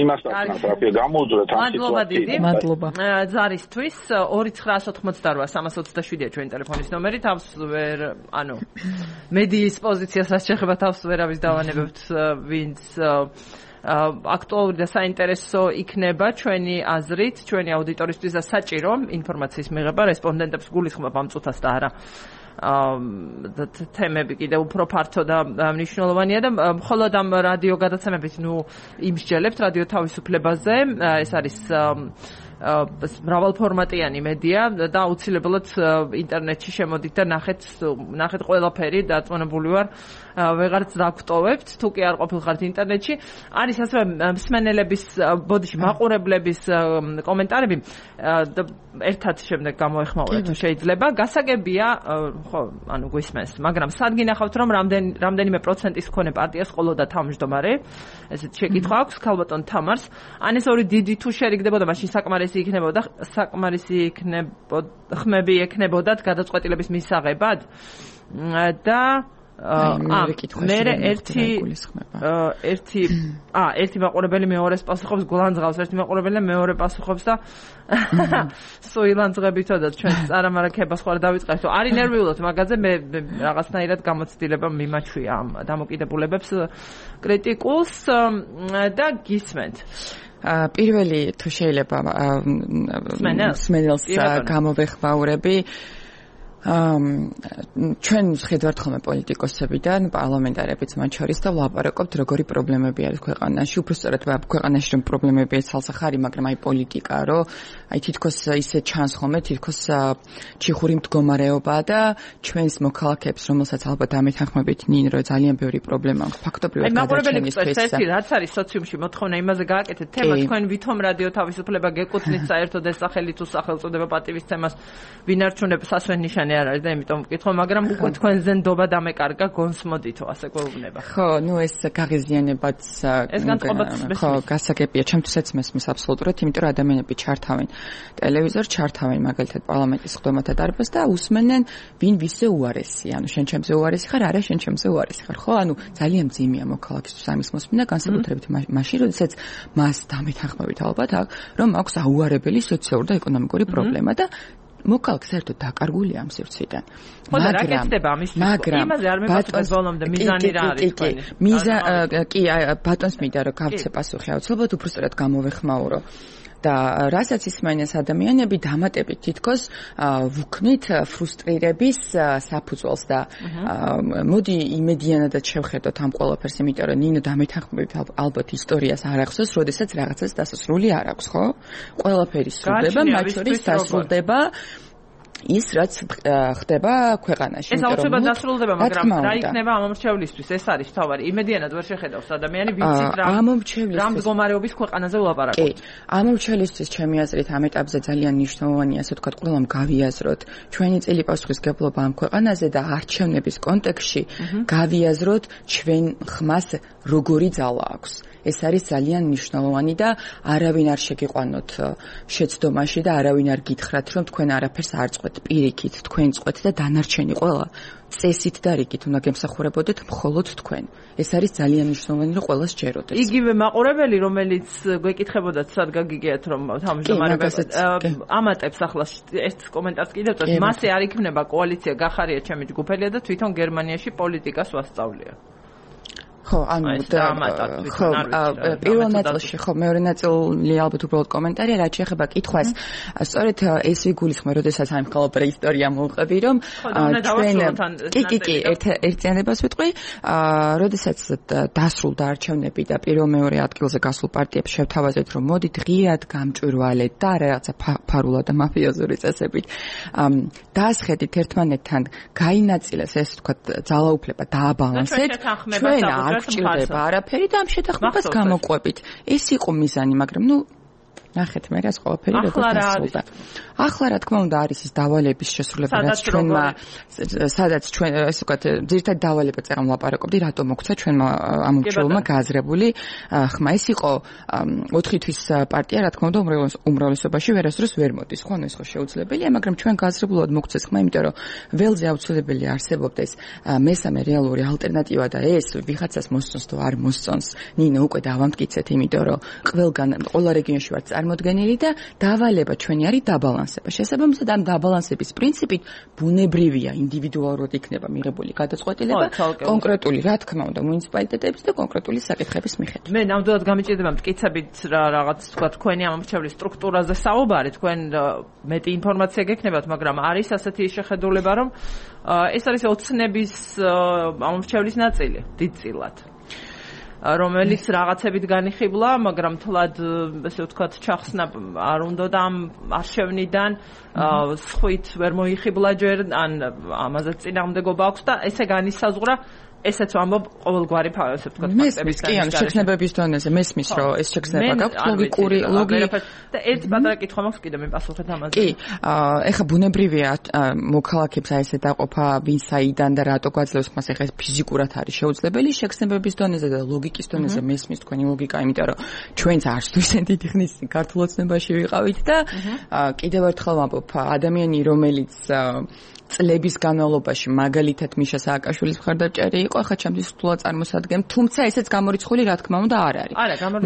იმას ვაქნათ, რა ქვია, გამოუძვრეთ ამ სიტუაციას. მადლობა. ზარისთვის ორი ცხრაასი ოცდაოთხმოცდაოთხ სამას ოცდაშვიდია ჩვენი ტელეფონის ნომერი, თავს ვერ, ანუ მედიის პოზიციასაც შეხება თავს ვერავის დავანებებთ, ვინც აქტუალური და საინტერესო იქნება ჩვენი აზრით, ჩვენი აუდიტორისთვის და საჭირო ინფორმაციის მიღება რესპონდენტებს გულისხმობ ამ წუთას და არა და თემები კიდევ უფრო ფართო და მნიშვნელოვანია და მხოლოდ ამ რადიო გადაცემებით ნუ იმსჯელებთ რადიო თავისუფლებაზე, ეს არის მრავალფორმატიანი მედია და აუცილებლად ინტერნეტში შემოდით და ნახეთ ნახეთ ყველაფერი დაწონებული ვარ ვეღარც დაგვტოვებთ თუ კი არ ყოფილხართ ინტერნეტში არის ასევე მსმენელების ბოდიში მაყურებლების კომენტარები და ერთად შემდეგ გამოეხმაურეთ თუ შეიძლება გასაგებია ხო ანუ გვისმენს მაგრამ სად გინახავთ რომ რამდენ რამდენიმე პროცენტის მქონე პარტიას ყოლოდა თავმჯდომარე ესეთ შეკითხვა აქვს ქალბატონ თამარს ან ეს ორი დიდი თუ შერიგდებოდა მაშინ საკმარისი იქნებოდა საკმარისი იქნებოდა ხმები ექნებოდათ გადაწყვეტილების მისაღებად და მე ერთი ერთი ა ერთი მაყურებელი მეორეს პასუხობს გულანძღავს ერთი მაყურებელი მეორე პასუხობს და სოილანძღებითოდაც ჩვენ წარმარაკებას ხوار დავიწყებთ არის ნერვიულად მაგაზე მე რაღაცნაირად გამოცდილება მიმაჩვია ამ დამოკიდებულებებს კრიტიკულს და გისმენთ პირველი თუ შეიძლება სმენელს გამოვეხმაურები ჩვენ ხედავთ ხოლმე პოლიტიკოსებიდან, პარლამენტარებიც მათ შორის და ვლაპარაკობთ როგორი პრობლემები არის ქვეყანაში, უბრალოდ ქვეყანაში რომ პრობლემები არის ცალსახარი, მაგრამ აი პოლიტიკა, რომ აი თითქოს ისე ჩანს ხოლმე, თითქოს ჩიხური მდგომარეობა და ჩვენს მოქალაქეებს, რომელსაც ალბათ ამეთანხმებით ნინ, რომ ძალიან ბევრი პრობლემა აქვს ფაქტობრივად გადაჩენისთვის. აი, მაყურებელი რაც არის სოციუმში მოთხოვნა იმაზე გააკეთეთ თემა, თქვენ ვითომ რადიო თავისუფლება გეკუთვნით საერთოდ ეს სახელი თუ სახელწოდება პატივის თემას ვინ არჩუნებს სასვენნიშანი არ არის და იმიტომ ვკითხო, მაგრამ უკვე თქვენზე ნდობა დამეკარგა გონსმოდითო, ასე გვეუბნება. ხო, ნუ ეს გაღიზიანებაც ეს განწყობაც ხო, გასაგებია, ჩემთვისაც მესმის აბსოლუტურად, იმიტომ რომ ადამიანები ჩართავენ ტელევიზორს, ჩართავენ მაგალითად პარლამენტის ხდომათა დარბაზს და უსმენენ ვინ ვისზე უარესი, ანუ შენ ჩემზე უარესი ხარ, არა შენ ჩემზე უარესი ხარ, ხო? ანუ ძალიან მძიმეა მოქალაქისთვის ამის მოსმენა, განსაკუთრებით მაშინ, როდესაც მას დამეთანხმებით ალბათ აქ, რომ აქვს აუარებელი სოციალური და ეკონომიკური პრობლემა და მოკალქ საერთოდ დაკარგულია ამ სივრციდან. მაგრამ მაგრამ იმაზე არ მეკითხეთ ბოლომდე მიზანი რა არის თქვენი? მიზა კი ბატონს მინდა რომ გავცე პასუხი აუცილებლად უბრალოდ გამოვეხმაურო. და რასაც ისმენეს ადამიანები დამატებით თითქოს ვუქმნით ფრუსტრირების საფუძველს და მოდი იმედიანადაც შევხედოთ ამ ყველაფერს, იმიტომ რომ ნინო დამეთანხმებით ალბათ ისტორიას არ ახსოვს, როდესაც რაღაცას დასასრული არ აქვს, ხო? ყველაფერი სრულდება, მათ შორის დასრულდება ის რაც ხდება ქვეყანაში. ეს აუცილებლად დასრულდება, მაგრამ რა იქნება ამომრჩევლისთვის? ეს არის თავარი. იმედიანად ვერ შეხედავს ადამიანი, ვიცით რა რა მდგომარეობის ქვეყანაზე ვლაპარაკობთ. კი, ამომრჩევლისთვის ჩემი აზრით ამ ეტაპზე ძალიან მნიშვნელოვანია, ასე ვთქვათ, ყველამ გავიაზროთ ჩვენი წელი პასუხისმგებლობა ამ ქვეყანაზე და არჩევნების კონტექსტში გავიაზროთ ჩვენ ხმას როგორი ძალა აქვს. ეს არის ძალიან მნიშვნელოვანი და არავინ არ შეგიყვანოთ შეცდომაში და არავინ არ გითხრათ, რომ თქვენ არაფერს არ წყვეთ, პირიქით თქვენ წყვეთ და დანარჩენი ყველა წესით და რიგით უნდა გემსახურებოდეთ მხოლოდ თქვენ. ეს არის ძალიან მნიშვნელოვანი, რომ ყველას ჯეროდეს. იგივე მაყურებელი, რომელიც გვეკითხებოდათ, სად გაგიგიათ, რომ თავმჯდომარეობას ამატებს ახლა ერთ კომენტარს კიდევ წევს, მასე არ იქნება კოალიცია, გახარია ჩემი ჯგუფელია და თვითონ გერმანიაში პოლიტიკას ვასწავლია. ხო, ანუ ხო, პირველ ნაწილში ხო, მეორე ნაწილი ალბათ უბრალოდ კომენტარია, რაც შეეხება კითხვას. სწორედ ეს ვიგულისხმე, როდესაც აი მხოლოდ პრეისტორია მოვყვები, რომ ჩვენ კი კი კი ერთიანებას ვიტყვი, როდესაც დასრულდა არჩევნები და პირველ მეორე ადგილზე გასულ პარტიებს შევთავაზეთ, რომ მოდით ღიად გამჭვირვალეთ და რაღაცა ფარულად და მაფიოზური წესებით დაასხედით ერთმანეთთან, გაინაწილეს ეს თქვა ძალაუფლება დააბალანსეთ. ჩვენ არ გჭირდება არაფერი და ამ შეთანხმებას გამოყვებით. ეს იყო მიზანი, მაგრამ ნუ ნახეთ მე რას ყველაფერი როგორ დასრულდა. ახლა რა თქმა უნდა არის ის დავალების შესრულება, რაც ჩვენმა სადაც ჩვენ ესე ვთქვათ, ძირითადად დავალება წერან ვლაპარაკობდი, რატომ მოგცა ჩვენმა ამ მრჩეველმა გააზრებული ხმა. ეს იყო ოთხი თვის პარტია, რა თქმა უნდა, უმრავლესობაში ვერასდროს ვერ მოდის, ხო, ეს ხო შეუძლებელია, მაგრამ ჩვენ გააზრებულად მოგცეს ხმა, იმიტომ რომ ველზე აუცილებელი არსებობდეს მესამე რეალური ალტერნატივა და ეს ვიღაცას მოსწონს თუ არ მოსწონს. ნინო უკვე დავამტკიცეთ, იმიტომ რომ ყველგან ყველა რეგიონში ვართ წარმოდგენილი და დავალება ჩვენი არის დაბალანსება. შესაბამისად ამ დაბალანსების პრინციპით ბუნებრივია ინდივიდუალურად იქნება მიღებული გადაწყვეტილება კონკრეტული, რა თქმა უნდა, მუნიციპალიტეტების და კონკრეტული საკითხების მიხედვით. მე ნამდვილად გამიჭირდება მტკიცებით რა რაღაც თქვა თქვენი ამ მრჩევლის სტრუქტურაზე საუბარი, თქვენ მეტი ინფორმაცია გექნებათ, მაგრამ არის ასეთი შეხედულება, რომ ეს არის ოცნების ამ მრჩევლის ნაწილი, დიდწილად. რომელიც რაღაცებით განიხიბლა, მაგრამ თლად ესე ვთქვათ, ჩახსნა არ უნდა და ამ არჩევნიდან სხვით ვერ მოიხიბლა ჯერ, ან ამაზეც წინააღმდეგობა აქვს და ესე განისაზღვრა ესეც ვამბობ ყოველგვარი ესე ვთქვათ ფაქტების კი ან შექმნებების დონეზე მესმის რომ ეს შექმნება გაქვს ლოგიკური ლოგიკა და ერთ პატარა კითხვა მაქვს კიდე მე პასუხეთ ამაზე კი ეხა ბუნებრივია მოქალაქეებს აი ესე დაყოფა ვინ საიდან და რატო გვაძლევს მას ეხა ფიზიკურად არის შეუძლებელი შექმნებების დონეზე და ლოგიკის დონეზე მესმის თქვენი ლოგიკა იმიტომ რომ ჩვენც არც თუ ისე დიდი ხნის ქართულ ოცნებაში ვიყავით და კიდევ ერთხელ ვამბობ ადამიანი რომელიც წლების განმავლობაში მაგალითად მიშა სააკაშვილის მხარდაჭერი იყო, ახლა ჩემთვის რთულად წარმოსადგენ, თუმცა ესეც გამორიცხული რა თქმა უნდა არ არის.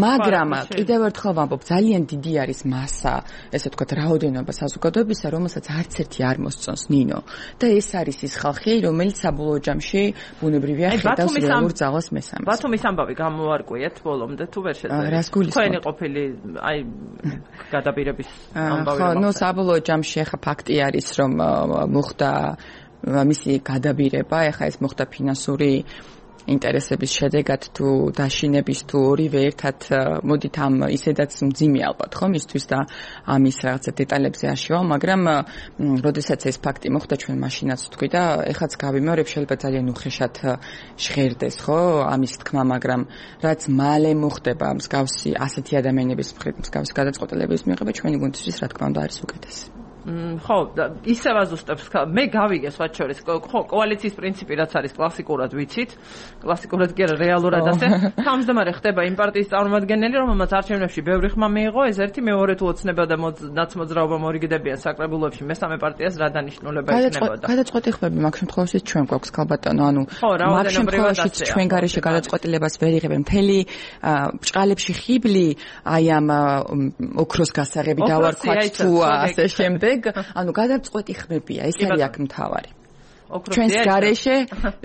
მაგრამ კიდევ ერთხელ ვამბობ, ძალიან დიდი არის მასა, ესე ვთქვათ, რაოდენობა საზოგადოებისა, რომელსაც არც ერთი არ მოსწონს ნინო. და ეს არის ის ხალხი, რომელიც საბოლოო ჯამში ბუნებრივია ხედავს რეალურ ძალას მესამეს. ბათუმის ამბავი გამოარკვიეთ ბოლომდე თუ ვერ შეძლო. თქვენი ყოფილი აი გადაბირების ამბავი. ხო, ნუ საბოლოო ჯამში ახლა ფაქტი არის, რომ მოხდა მისი გადაბირება, ეხა ეს მოხდა ფინანსური ინტერესების შედეგად თუ დაშინების თუ ორივე ერთად მოდით ამ ისედაც მძიმე ალბათ ხო მისთვის და ამის რაღაცა დეტალებზე არ შევალ, მაგრამ როდესაც ეს ფაქტი მოხდა ჩვენ მაშინაც თქვი და ეხაც გავიმეორებ შეიძლება ძალიან უხეშად ჟღერდეს ხო ამის თქმა, მაგრამ რაც მალე მოხდება მსგავსი ასეთი ადამიანების მხრით მსგავსი გადაწყვეტილების მიღება ჩვენი გუნდისთვის რა თქმა უნდა არის უკეთესი. ხო, ისევ აზუსტებს, მე გავიგე სხვა შორის, ხო, კოალიციის პრინციპი რაც არის კლასიკურად ვიცით, კლასიკურად კი არა რეალურად ასე, თავმჯდომარე ხდება იმ პარტიის წარმომადგენელი, რომელმაც არჩევნებში ბევრი ხმა მიიღო, ეს ერთი, მეორე თუ ოცნება და ნაცმოძრაობა მორიგდებიან საკრებულოებში, მესამე პარტიას რა დანიშნულება ექნებოდა. გადაწყვეტილებები მაგ შემთხვევაში ჩვენ გვაქვს ქალბატონო, ანუ მაგ შემთხვევაში ჩვენ გარეშე გადაწყვეტილებას ვერ იღებენ მთელი ბჭყალებში ხიბლი, აი ამ ოქროს გასაღები დავარქვათ თუ ასე შემდეგ ანუ გადაწყვეტი ხმებია, ეს არის აქ მთავარი. ჩვენს გარეშე,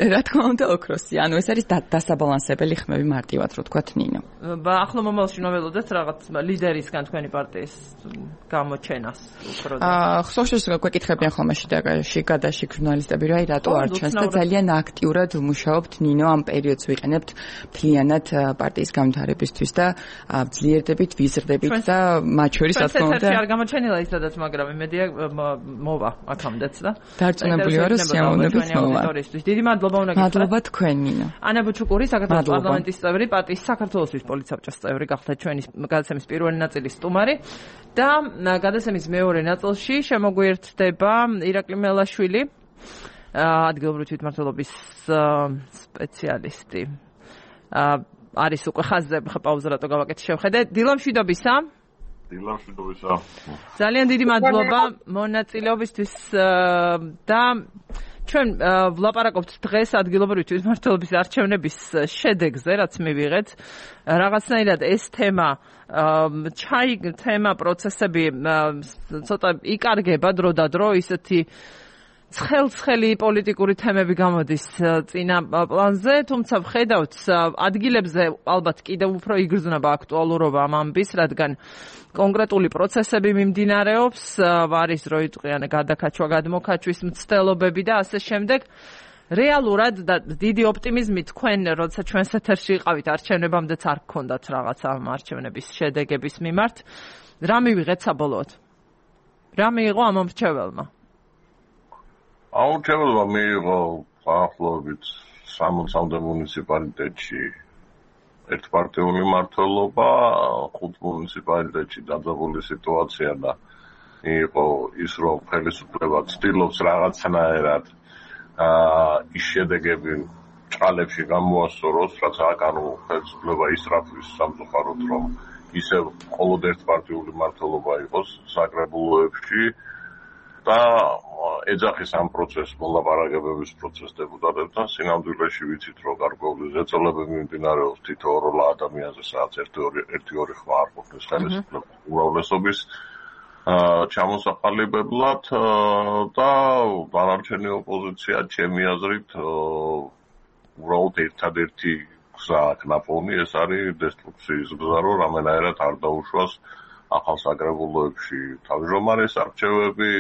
რა თქმა უნდა, ოქროსი. ანუ ეს არის დასაბალანსებელი ხმები მარტივად, რო თქვათ ნინო. ახლა მომავალში ნოველოდეთ რაღაც ლიდერისგან თქვენი პარტიის გამოჩენას უფრო და. აა, ხსოვს გვეკითხებიან ხოლმე შიგადაში ჟურნალისტები, რა რატო არ ჩანს და ძალიან აქტიურად ვმუშაობთ ნინო ამ პერიოდს ვიყენებთ მთლიანად პარტიის განვითარებისთვის და ძლიერდებით, ვიზრდებით და მათ შორის რა თქმა უნდა. არ გამოჩენილა ის სადაც, მაგრამ იმედია მოვა აქამდეც და. დარწმუნებული ვარ, რომ დიდი მადლობა უნდა გითხრათ. მადლობა თქვენ ნინო. ანა ბუჩუკური, საქართველოს პარლამენტის წევრი, პარტიის საქართველოსთვის პოლიცსაბჭოს წევრი, გახდა ჩვენი გადაცემის პირველი ნაწილის სტუმარი და გადაცემის მეორე ნაწილში შემოგვიერთდება ირაკლი მელაშვილი, ადგილობრივი თვითმმართველობის სპეციალისტი. არის უკვე ხაზზე, ხა პაუზა რატო გავაკეთე შევხედე. დილა მშვიდობისა. დილა მშვიდობისა. ძალიან დიდი მადლობა მონაწილეობისთვის და ჩვენ ვლაპარაკობთ დღეს ადგილობრივი თვითმმართველობის არჩევნების შედეგზე, რაც მივიღეთ. რაღაცნაირად ეს თემა ჩაი თემა პროცესები ცოტა იკარგება დრო და დრო, ისეთი ცხელ-ცხელი პოლიტიკური თემები გამოდის წინა პლანზე, თუმცა ვხედავთ ადგილებზე ალბათ კიდევ უფრო იგრძნობა აქტუალურობა ამ ამბის, რადგან კონკრეტული პროცესები მიმდინარეობს, არის რო იწყიან გადაკაჩვა, გადმოკაჩვის მცდელობები და ასე შემდეგ. რეალურად და დიდი ოპტიმიზმი თქვენ, როცა ჩვენს ეთერში იყავით არჩევნებამდეც არ გქონდათ რაღაცა ამ არჩევნების შედეგების მიმართ. რა მივიღეთ საბოლოოდ? რა მიიღო ამ მრჩეველმა? აუჩეველმა მიიღო ახლობით სამოცამდე მუნიციპალიტეტში ერთპარტიული მმართველობა, ხუთ მუნიციპალიტეტში დაძაბული სიტუაცია და იყო ის, რომ ხელისუფლება ცდილობს რაღაცნაირად ის შედეგები ჭყალებში გამოასწოროს, რაც აკანო ხელისუფლება ისრაფვის სამწუხაროდ, რომ ისევ მხოლოდ ერთპარტიული მმართველობა იყოს საკრებულოებში და ეძახის ამ პროცესს მოლაპარაკებების პროცესს დეპუტატებთან. სინამდვილეში ვიცით, რომ გარკვეული ზეწოლებები მიმდინარეობს თითოეულ ადამიანზე, სადაც ერთი ორი ხმა არ ყოფნის ხელისუფლების უმრავლესობის ჩამოსაყალიბებლად და დანარჩენი ოპოზიცია ჩემი აზრით უბრალოდ ერთადერთი გზა აქვს ნაპოვნი, ეს არის დესტრუქციის გზა, რომ რამენაირად არ დაუშვას ახალ საკრებულოებში თავმჯდომარის არჩევები,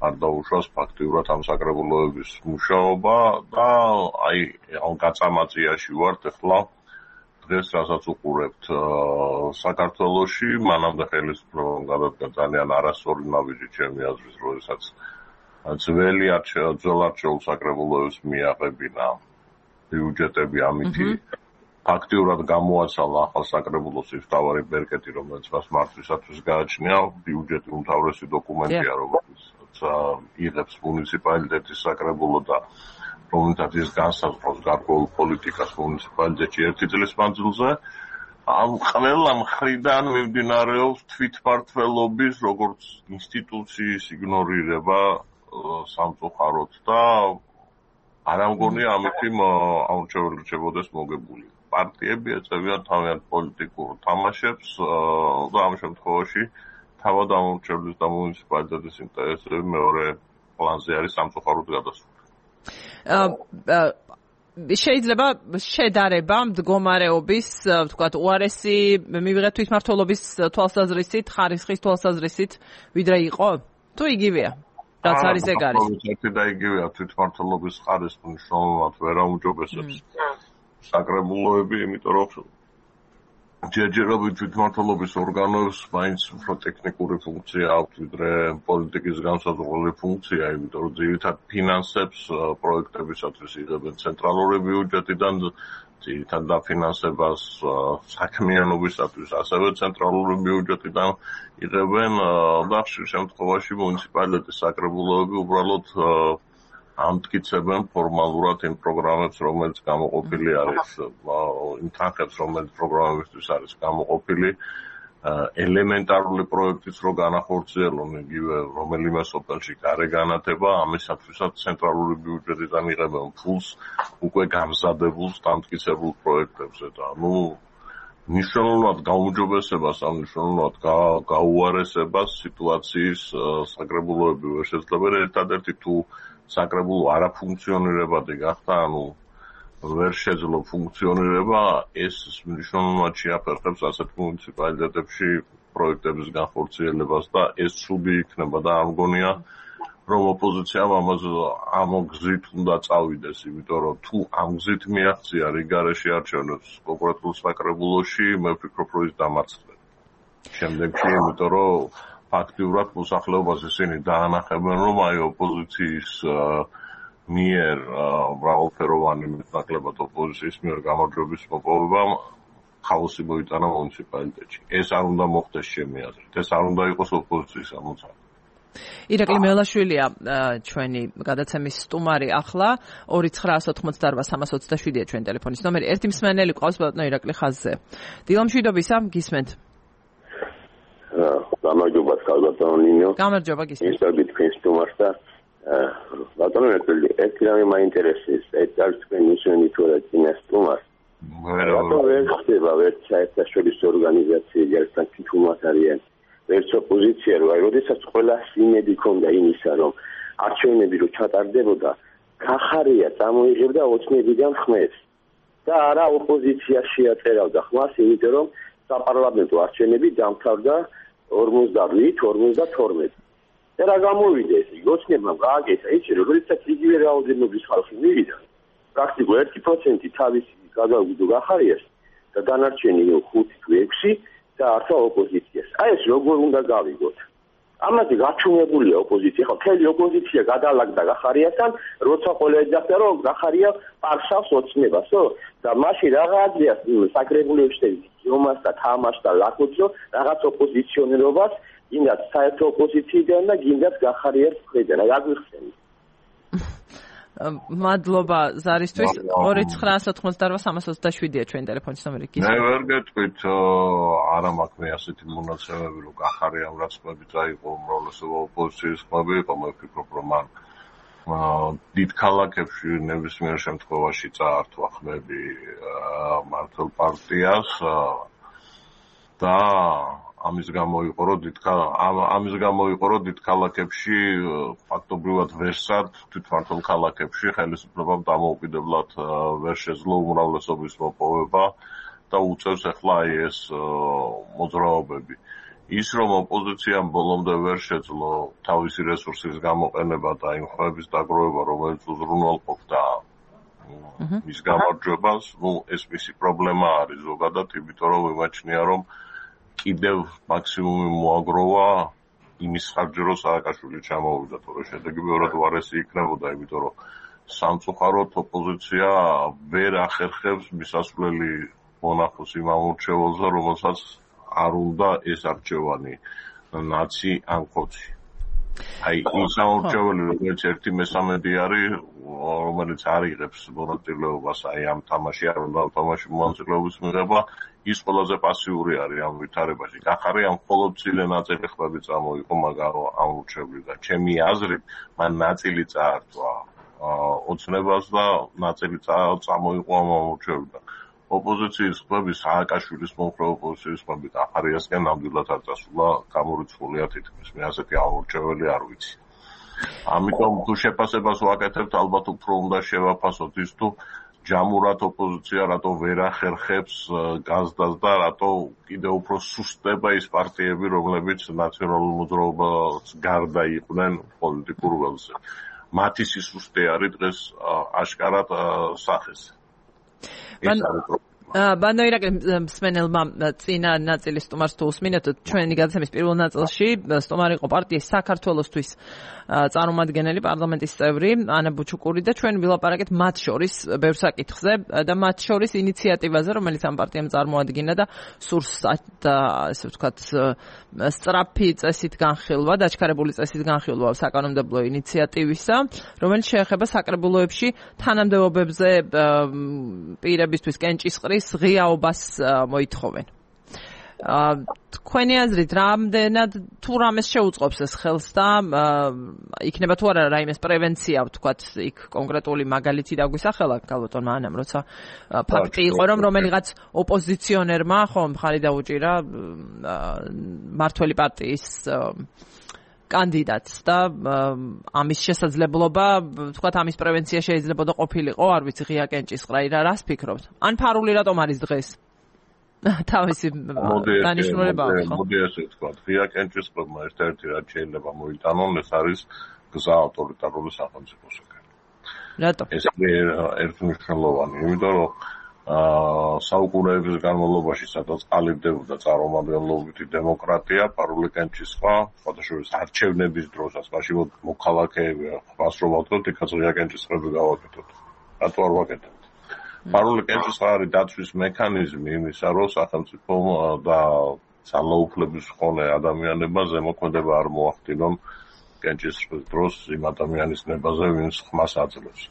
არ დაუშვას ფაქტიურად ამ საკრებულოების მუშაობა და აი ამ გაწამაწიაში ვართ ახლა დღეს რასაც უყურებთ საქართველოში, მანამდე ხელისუფლებამ გადადგა ძალიან არასწორი ნაბიჯი ჩემი აზრით, როდესაც ძველი ძველ არჩეულ საკრებულოებს მიაღებინა ბიუჯეტები ამითი ფაქტიურად გამოაცალა ახალ საკრებულოს ის მთავარი ბერკეტი, რომელიც მას მართვისათვის გააჩნია, ბიუჯეტი უმთავრესი დოკუმენტია, რომელიც იღებს მუნიციპალიტეტის საკრებულო და რომელთაც ის განსაზღვრავს გარკვეულ პოლიტიკას მუნიციპალიტეტში ერთი წლის მანძილზე. ამ ყველა მხრიდან მიმდინარეობს თვითმმართველობის როგორც ინსტიტუციის იგნორირება სამწუხაროდ და არ ამგონია ამითი აურჩეველი რჩებოდეს მოგებული. პარტიები ეწევიან თავიანთ პოლიტიკურ თამაშებს და ამ შემთხვევაში თავად ამორჩევლის და მუნიციპალიტეტის ინტერესები მეორე პლანზე არის სამწუხაროდ გადასული. შეიძლება შედარება მდგომარეობის, ვთქვათ, უარესი მივიღეთ თვითმმართველობის თვალსაზრისით, ხარისხის თვალსაზრისით, ვიდრე იყო? თუ იგივეა? რაც არის ეგ არის. ერთი და იგივეა თვითმმართველობის ხარისხი მნიშვნელოვნად ვერ აუმჯობესებს საკრებულოები, იმიტომ რომ ჯერჯერობით თვითმმართველობის ორგანოებს მაინც უფრო ტექნიკური ფუნქცია აქვს, ვიდრე პოლიტიკის განსაზღვრელი ფუნქცია, იმიტომ რომ ძირითად ფინანსებს პროექტებისათვის იღებენ ცენტრალური ბიუჯეტიდან, ძირითად დაფინანსებას საქმიანობისათვის ასევე ცენტრალური ბიუჯეტიდან იღებენ და ხშირ შემთხვევაში მუნიციპალიტეტის საკრებულოები უბრალოდ ამტკიცებენ ფორმალურად იმ პროგრამებს, რომელიც გამოყოფილი არის, იმ თანხებს, რომელიც პროგრამებისთვის არის გამოყოფილი, ელემენტარული პროექტიც რო განახორციელონ იგივე რომელიმე სოფელში გარე განათება, ამისათვისაც ცენტრალური ბიუჯეტიდან იღებენ ფულს უკვე გამზადებულ დამტკიცებულ პროექტებზე და ნუ მნიშვნელოვნად გაუმჯობესებას, ამ მნიშვნელოვნად გაუარესებას სიტუაციის საკრებულოები ვერ შეძლებენ. ერთადერთი თუ საკრებულო არაფუნქციონირებადი გახდა, ანუ ვერ შეძლო ფუნქციონირება, ეს მნიშვნელოვნად შეაფერხებს ასეთ მუნიციპალიტეტებში პროექტების განხორციელებას და ეს ცუდი იქნება და არ მგონია, რომ ოპოზიციამ ამაზე ამ გზით უნდა წავიდეს, იმიტომ რომ თუ ამ გზით მიაღწია რიგარეში არჩევნებს კონკრეტულ საკრებულოში, მე ვფიქრობ, რომ ის დამარცხდება. შემდეგში, იმიტომ რომ ფაქტიურად მოსახლეობას ისინი დაანახებენ, რომ აი ოპოზიციის მიერ მრავალფეროვანი მეტნაკლებად ოპოზიციის მიერ გამარჯვების მოპოვებამ ხაოსი მოიტანა მუნიციპალიტეტში. ეს არ უნდა მოხდეს ჩემი აზრით. ეს არ უნდა იყოს ოპოზიციის ამოცანა. ირაკლი მელაშვილია ჩვენი გადაცემის სტუმარი ახლა ორი ცხრაას ოთხმოცდაარბა სამას ოცდაშვიდია ჩვენი ტელეფონის ნომერი. ერთი მსმენელი ყავს ბატონო ირაკლი ხაზზე. დილამშვიდობისა, გისმენთ. გამარჯობა ბატონო ნინო. გამარჯობა გისმენთ. ისევ თქვენ სტუმარს და ბატონო ირაკლი, ერთი რამე მაინტერესებს, ეს არის თქვენ ნიშანი თუ რა წინა სტუმარს. ბატონო ვერ ხდება ვერ საერთაშორისო ორგანიზაციები ერთად თითქმის არიან. ერთ ოპოზიცია რო აი, როდესაც ყველა სიმედი ქონდა იმისა, რომ არჩევნები რო ჩატარდებოდა, გახარია წამოიღებდა ოცნებიდან ხმებს და არა ოპოზიცია შეაწერავდა ხმას, იმიტომ რომ საპარლამენტო არჩევნები დამთავრდა ორმოცდაორი ორმოცდათორმეტი. და რა გამოვიდა ეს? ოცნებამ გააკეთა იცი, როგორიცაც იგივე რაოდენობის ხალხი მივიდა. პრაქტიკულად ერთი პროცენტი თავისი გადავიდო გახარიას და დანარჩენი ხუთი თუ ექვსი და ართა ოპოზიციას. აი ეს როგორ უნდა გავიგოთ? ამაზე გაჩვენებულია ოპოზიცია, ხო, მთელი ოპოზიცია გადალაგდა გახარიასთან, როცა ყველა ეძახდა, რომ გახარია პარსავს ოცნებასო და მაშინ რაღაცა საკრებულებში ჯომას და თამაშს და ლაკოცო რაღაც ოპოზიციონერობას გინდათ საერთო ოპოზიციიდან და გინდათ გახარიას ხვედან. რა გიხსენით? მადლობა ზარისთვის. ორი ცხრაას ოთხმოცდაორი სამას ოცდაშვიდია ჩვენი ტელეფონის ნომერი. მე ვერ გეტყვით, არა მაქვს მე ასეთი მონაცემები, რომ გახარიამ რაც ხმები წაიღო, უმრავლესობა ოპოზიციის ხმები იყო, მე ვფიქრობ, რომ მან დიდ ქალაქებში ნებისმიერ შემთხვევაში წაართვა ხმები მართლ პარტიას და ამის გამო იყო რომ დიდ ამის გამო იყო რომ დიდ ქალაქებში ფაქტობრივად ვერსად თვითმმართველ ქალაქებში ხელისუფლებამ დამოუკიდებლად ვერ შეძლო უმრავლესობის მოპოვება და უწევს ახლა აი ეს მოძრაობები. ის რომ ოპოზიციამ ბოლომდე ვერ შეძლო თავისი რესურსის გამოყენება და იმ ხმების დაგროვება, რომელიც უზრუნველყოფდა მის გამარჯვებას, ну ეს მისი პრობლემა არის ზოგადად, იმიტომ რომ იმაჩნია რომ კიდევ მაქსიმუმი მოაგროვა იმის ხარჯზე, რომ სააკაშვილი ჩამოვიდა, თორე შედეგი ბევრად უარესი იქნებოდა, იმიტომ რომ სამწუხაროდ ოპოზიცია ვერ ახერხებს მისასვლელი მონახოს იმ ამორჩეველზე, რომელსაც არ უნდა ეს არჩევანი ნაცი ან ხოცი. აი ის ამორჩეველი, რომელიც ერთი მესამედი არის, რომელიც არ იღებს მონაწილეობას აი ამ თამაში, არ უნდა თამაში მონაწილეობის მიღება, ის ყველაზე პასიური არის ამ ვითარებაში. გახარიამ მხოლოდ მცირე ნაწილი ხმები წამოიღო მაგარო ამორჩევლიდან. ჩემი აზრით, მან ნაწილი წაართვა ოცნებას და ნაწილი წამოიღო ამ ამორჩევლიდან. ოპოზიციის ხმები, სააკაშვილის მომხრე ოპოზიციის ხმები გახარიასკენ ნამდვილად არ წასულა, გამორიცხულია თითქმის. მე ასეთი ამორჩეველი არ ვიცი. ამიტომ თუ შეფასებას ვაკეთებთ, ალბათ უფრო უნდა შევაფასოთ ის თუ ჯამურად ოპოზიცია რატო ვერ ახერხებს გაზდას და რატო კიდევ უფრო სუსტდება ის პარტიები, რომლებიც ნაციონალურ მოძრაობას გარდა იყვნენ პოლიტიკურ ველზე. მათი სისუსტე არის დღეს აშკარად სახეს. ბანდო ირაკლი მსმენელმა წინა ნაწილის სტუმარს თუ უსმინეთ, ჩვენი გადაცემის პირველ ნაწილში სტუმარი იყო პარტიის საქართველოსთვის წარმომადგენელი პარლამენტის წევრი ანა ბუჩუკური და ჩვენ ვილაპარაკეთ მათ შორის ბევრ საკითხზე და მათ შორის ინიციატივაზე, რომელიც ამ პარტიამ წარმოადგინა და სურს და ესე ვთქვათ სწრაფი წესით განხილვა, დაჩქარებული წესით განხილვა საკანონმდებლო ინიციატივისა, რომელიც შეეხება საკრებულოებში თანამდებობებზე პირებისთვის კენჭისყრის ღიაობას მოითხოვენ. თქვენი აზრით, რამდენად თუ რამეს შეუწყობს ეს ხელს და იქნება თუ არა რაიმეს პრევენცია, ვთქვათ, იქ კონკრეტული მაგალითი დაგვისახელა გალბატონმა ანამ, როცა ფაქტი იყო, რომ რომელიღაც ოპოზიციონერმა ხო მხარი დაუჭირა მართველი პარტიის კანდიდატს და ამის შესაძლებლობა, ვთქვათ, ამის პრევენცია შეიძლება ყოფილიყო, არ ვიცი, ღია კენჭისყრა, რას ფიქრობთ? ან ფარული რატომ არის დღეს? თავისი დანიშნულება აქვს, ხო? მოდი ასე ვთქვათ, ღია კენჭისყრებმა ერთ-ერთი რაც შეიძლება მოიტანონ, ეს არის გზა ავტორიტარული სახელმწიფოსკენ. რატო? ეს ერთმნიშვნელოვანი, იმიტომ რომ საუკუნეების განმავლობაში, სადაც ყალიბდებოდა წარმომადგენლობითი დემოკრატია, ფარული კენჭისყრა, სხვადასხვა არჩევნების დროსაც, მაშინ მოქალაქეები ხმას რომ ავდოთ, იქაც ღია კენჭისყრები გავაკეთოთ. რატო არ ვაკეთებთ? ფარული კენჭისყრა არის დაცვის მექანიზმი იმისა, რომ სახელმწიფო და ძალაუფლების მქონე ადამიანებმა ზემოქმედება არ მოახდინონ კენჭისყრის დროს იმ ადამიანის ნებაზე, ვინც ხმას აძლევს.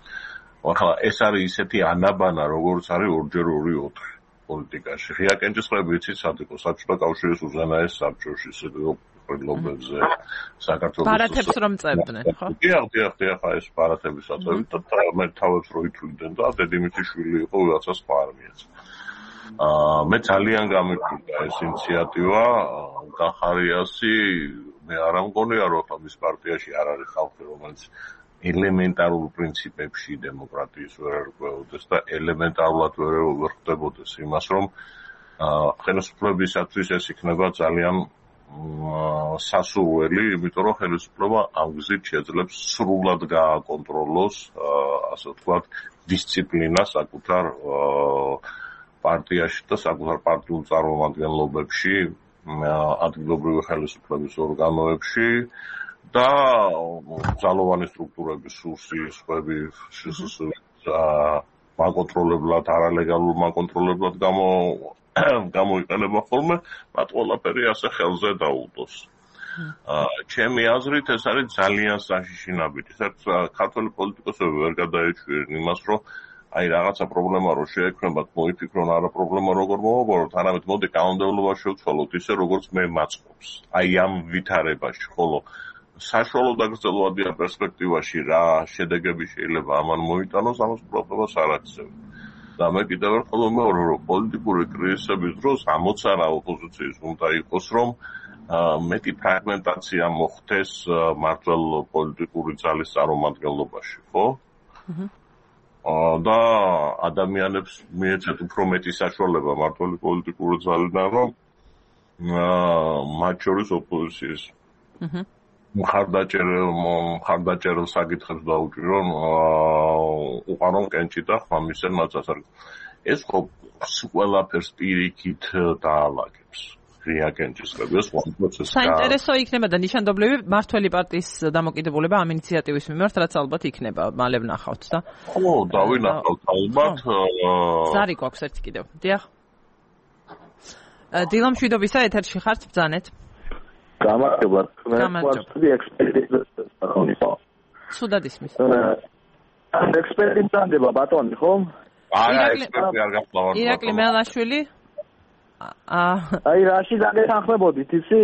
ახლა ეს არის ისეთი ანაბანა, როგორც არის ორჯერ ორი ოთხი პოლიტიკაში. ღია კენჭისყრები იცით სად იყო? საბჭოთა კავშირის უზენაეს საბჭოში, სიკვდილობებზე, საქართველოს ბარათებს რომ წევდნენ, ხო? დიახ, დიახ, დიახ, ეს ბარათების აწევით და მე თავებს რო ითვლიდნენ და დედიმიწის შვილი იყო, ვიღაცას სხვა არ მიეცა. აა მე ძალიან გამიკვირდა ეს ინიციატივა გახარიასი მე არ მგონია რომ ამის პარტიაში არ არის ხალხი რომელიც ელემენტარულ პრინციპებში დემოკრატიის ვერ ერკვეოდეს და ელემენტარულად ვერ ხდებოდეს იმას რომ ხელისუფლებისათვის ეს იქნება ძალიან სასურველი, იმიტომ რომ ხელისუფლება ამ გზით შეძლებს სრულად გააკონტროლოს, ასე ვთქვათ, დისციპლინა საკუთარ პარტიაში და საკუთარ პარტიულ წარმომადგენლობებში, ადგილობრივი ხელისუფლების ორგანოებში და ძალოვანი სტრუქტურების სურსისხები მაკონტროლებლად, არალეგალურ მაკონტროლებლად გამო გამოიყენება ხოლმე, მათ ყველაფერი ასე ხელზე დაუდოს. ჩემი აზრით ეს არის ძალიან საშიში ნაბიჯი. საერთოდ ქართველი პოლიტიკოსები ვერ გადაეჩვინენ იმას, რომ აი რაღაცა პრობლემა რო შეექმნებათ, მოიფიქრონ არა პრობლემა როგორ მოვაბოროთ, არამედ მოდი კანონმდებლობა შევცვალოთ ისე როგორც მე მაწყობს. აი ამ ვითარებაში, ხოლო საშუალო და გრძელვადიან პერსპექტივაში რა შედეგები შეიძლება ამან მოიტანოს, ამას პრობლემას არ აქცევენ. და მე კიდევ ერთხელ ვიმეორე, რომ პოლიტიკური კრიზისების დროს ამოცანა ოპოზიციის უნდა იყოს, რომ მეტი ფრაგმენტაცია მოხდეს მართლ პოლიტიკური ძალის წარმომადგენლობაში, ხო? და ადამიანებს მიეცეთ უფრო მეტი საშუალება მართლი პოლიტიკური ძალიდან, რომ მათ შორის ოპოზიციის მხარდაჭერილ მხარდაჭერილ საკითხებს დაუჭირონ უყარონ კენჭი და ხმამისენ მათ ასარ. ეს ხო ყველაფერს პირიქით დაალაგებს. ღია კენჭისყები ეს ხო პროცესი. საინტერესო იქნება და ნიშანდობლივი მართველი პარტიის დამოკიდებულება ამ ინიციატივის მიმართ, რაც ალბათ იქნება, მალე ვნახავთ და. ხო, დავინახავთ ალბათ. ზარი გვაქვს ერთი კიდევ. დიახ. დილამ შვიდობისა ეთერში ხართ, ბრძანეთ. გამარჯობა. მე ექსპერტი სუდად ისმის. ექსპერტი დანდება ბატონი, ხო? არა, ექსპერტი არ გახლავარ. ირაკლი მელაშვილი. აი რაში დაგეთანხმებოდით იცი?